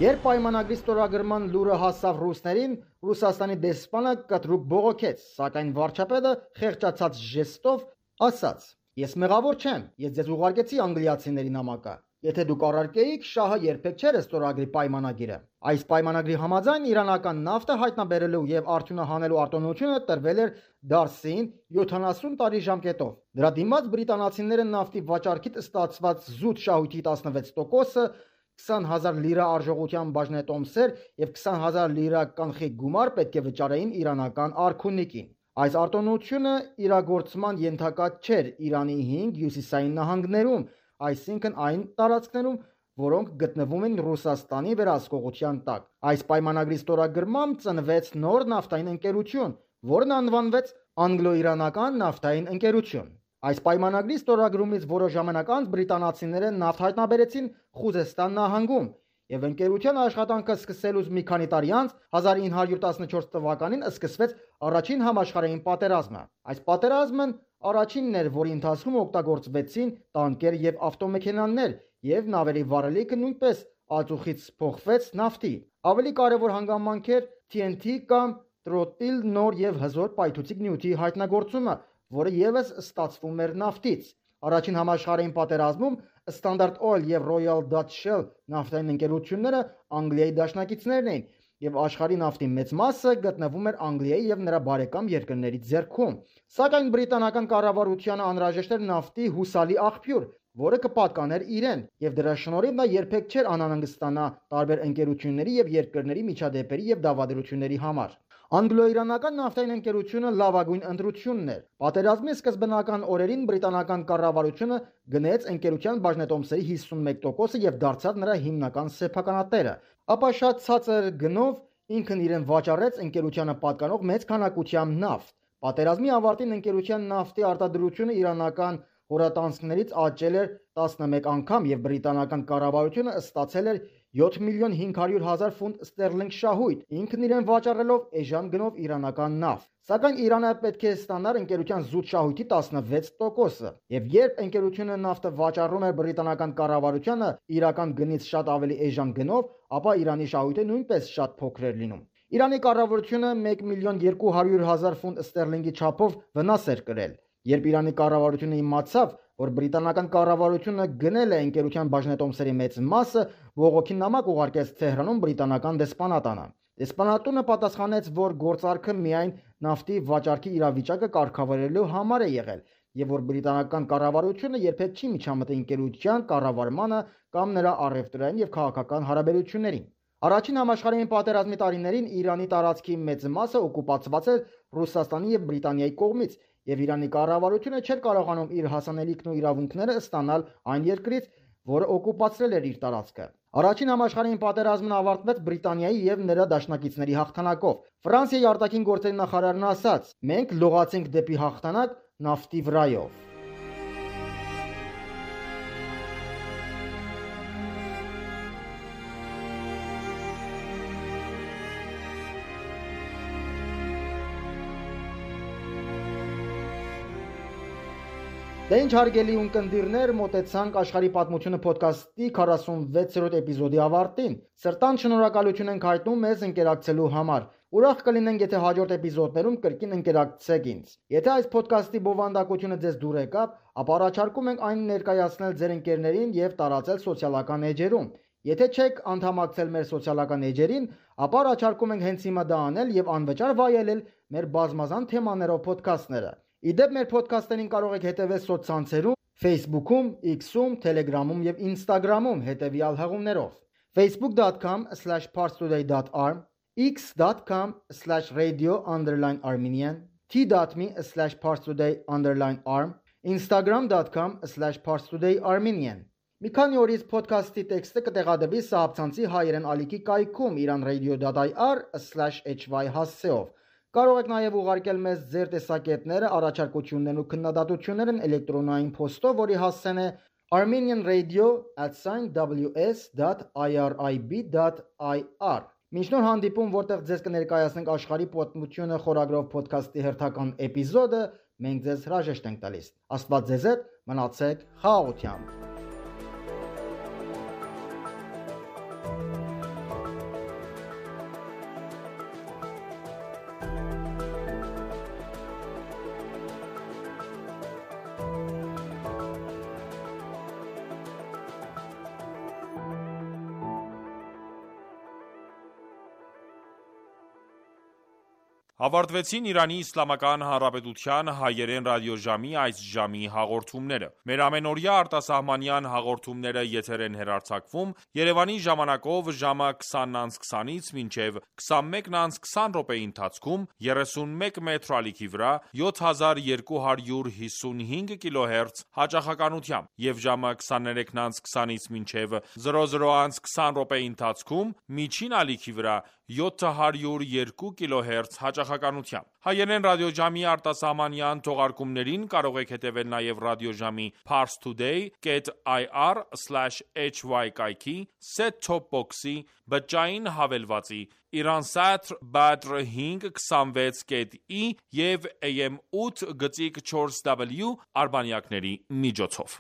Երբ պայմանագրի ստորագրման լուրը հասավ ռուսներին, Ռուսաստանի դեսպանը կտրուկ բողոքեց, սակայն վարչապետը խեղճացած ժեստով ասաց. «Ես մեղավոր չեմ, ես ձեզ ուղարկեցի անգլիացիների նամակը։ Եթե դուք առարկեիք, շահը երբեք չէր ստորագրի պայմանագիրը։ Այս պայմանագրի համաձայն իրանական նավթը հայտնաբերելու եւ արդյունահանելու արտոնությունը տրվել էր Դարսին 70 տարի ժամկետով։ Դրա դիմաց բրիտանացիները նավթի վաճառքից ստացված զուտ շահույթի 16%-ը 20,000 լիրա արժողության բաժնետոմսեր եւ 20,000 լիրա կանխիկ գումար պետք է վճարեին իրանական արքունիկին։ Այս արտոնությունը իրագործման ենթակա չէր Իրանի 5 հյուսիսային նահանգներում, այսինքն այն տարածքներում, որոնք գտնվում են Ռուսաստանի վերահսկողության տակ։ Այս պայմանագրի ստորագրմամբ ծնվեց նոր նավթային ընկերություն, որն անվանվեց Անգլո-Իրանական նավթային ընկերություն։ Այս պայմանագրի ստորագրումից որոշ ժամանակ անց բրիտանացիները նավթ հայտնաբերեցին Խուզեստան նահանգում եւ ընկերության աշխատանքը սկսելուց մի քանի տարի անց 1914 թվականին սկսվեց առաջին համաշխարհային պատերազմը։ Այս պատերազմն առաջինն էր, որի ընթացքում օգտագործվեցին տանկեր եւ ավտոմեքենաներ եւ նավերի վառելիքը նույնպես ածուխից փոխվեց նավթի։ Ավելի կարևոր հանգամանք էր TNT կամ տրոտիլ նոր եւ հզոր պայթուցիկ նյութի հայտնագործումը, որը եւս ստացվում էր նավթից։ Առաջին համաշխարհային պատերազմում Standard Oil եւ Royal Dutch Shell նավթային ընկերությունները Անգլիայի դաշնակիցներն էին եւ աշխարհի նավթի մեծ մասը գտնվում էր Անգլիայի եւ նրա բարեկամ երկրների ձեռքում։ Սակայն բրիտանական կառավարությանը անհրաժեշտ էր նավթի հուսալի աղբյուր, որը կպատկաներ իրեն, եւ դրա շնորհիվ նա երբեք չէր անհանգստանա տարբեր ընկերությունների եւ երկրների միջադեպերի եւ դավադրությունների համար։ Անգլո-իրանական նավթային ընկերությունը լավագույն ընտրությունն էր։ Պատերազմի սկզբնական օրերին բրիտանական կառավարությունը գնեց ընկերության բաժնետոմսերի 51%-ը եւ դարձավ նրա հիմնական սեփականատերը։ Ապա շատ ցածր գնով ինքն իրեն վաճառեց ընկերությանը պատկանող մեծ քանակությամբ նավթ։ Պատերազմի ավարտին ընկերության նավթի արտադրությունը իրանական հորատանցքներից աճել էր 11 անգամ եւ բրիտանական կառավարությունը ստացել էր 7,500,000 ֆունտ ստերլինգ շահույթ, ինքն իրեն վաճառելով էժան գնով իրանական նավթ։ Սակայն Իրանը պետք է ստանար ընկերության զուտ շահույթի 16%-ը, եւ երբ ընկերությունը նավթը վաճառում էր բրիտանական կառավարությանը իրական գնից շատ ավելի էժան գնով, ապա Իրանի շահույթը նույնպես շատ փոքր էր լինում։ Իրանի կառավարությունը 1,200,000 ֆունտ ստերլինգի չափով վնաս էր կրել։ Երբ Իրանի կառավարությունը իմացավ, որ բրիտանական կառավարությունը գնել է ընկերության բաժնետոմսերի մեծ մասը, բողոքի նամակ ուղարկեց Թեհրանում բրիտանական դեսպանատանը։ Դեսպանատունը պատասխանեց, որ գործարքը միայն նավթի վաճառքի իրավիճակը կարգավորելու համար է եղել եւ որ բրիտանական կառավարությունը երբեք չի միջամտի ընկերության կառավարմանը կամ նրա առևտրային եւ քաղաքական հարաբերություններին։ Առաջին համաշխարհային պատերազմի տարիներին Իրանի տարածքի մեծ մասը օկուպացված էր Ռուսաստանի եւ Բրիտանիայի կողմից եւ Իրանի կառավարությունը չէր կարողանում իր հասանելիքն ու իրավունքները ստանալ այն երկրից, որը օկուպացրել էր իր տարածքը։ Առաջին համաշխարհային պատերազմն ավարտվեց Բրիտանիայի եւ նրա դաշնակիցների հաղթանակով։ Ֆրանսիայի արտաքին գործերի նախարարն ասաց. «Մենք լողացինք դեպի հաղթանակ նավթի վրայով»։ Դե ինչ հարգելի ունկնդիրներ, մոտեցանք աշխարհի պատմությունը ոդքասթի 46-րդ էպիզոդի ավարտին։ Սրտան շնորհակալություն ենք հայտնում մեզ ընկերակցելու համար։ Ուրախ կլինենք, եթե հաջորդ էպիզոդներում կրկին ընկերակցեք ինձ։ Եթե այս ոդքասթի բովանդակությունը ձեզ դուր եկավ, ապա առաջարկում ենք այն ներկայացնել ձեր ընկերներին եւ տարածել սոցիալական էջերում։ Եթե չեք անդամակցել մեր սոցիալական էջերին, ապա առաջարկում ենք հենց հիմա դա անել եւ անվճար վայելել մեր բազմազան թեմաներով ոդքասթները։ Իդեպ մեր ոդքասթերին կարող եք հետևել սոցցանցերում, Facebook-ում, X-ում, Telegram-ում եւ Instagram-ում հետեւյալ հղումներով. facebook.com/parstoday.arm, x.com/radio_armenian, t.me/parstoday_arm, instagram.com/parstodayarmenian։ Մի քանի օրից ոդքասթի տեքստը կտեղադրվի Սահաբցանցի հայերեն ալիքի կայքում iranradio.ir/hy հասցեով։ Կարող եք նաև ուղարկել մեզ ձեր տեսակետները, առաջարկություններն ու քննադատություններն էլեկտրոնային փոստով, որի հասցեն է armenianradio@ws.irib.ir։ Մինչ նոր հանդիպում, որտեղ ձեզ կներկայացնենք աշխարհի պատմությունը խորագրով ոդքասթի հերթական էպիզոդը, մենք ձեզ հրաժեշտ ենք տալիս։ Աստված ձեզ հետ, մնացեք խաղաղությամբ։ Ավարտվեցին Իրանի Իսլամական Հանրապետության հայերեն ռադիոժամի այս ժամի հաղորդումները։ Մեր ամենօրյա արտասահմանյան հաղորդումները եթեր են հեռարձակվում Երևանի ժամանակով ժամը 20:20-ից մինչև 21:20 րոպեի ընթացքում 31 մետրի ալիքի վրա 7255 կիլոհերց հաճախականությամբ եւ ժամը 23:20-ից մինչև 00:20 րոպեի ընթացքում միջին ալիքի վրա 702 կիլոհերց հաճախականությամբ։ Հայերեն ռադիոժամի արտասահմանյան թողարկումներին կարող եք հետևել նաև ռադիոժամի parstoday.ir/hy կայքի, set-top box-ի, բջջային հավելվածի, Iransat Badr 526.i եւ AM 8.4W արբանյակների միջոցով։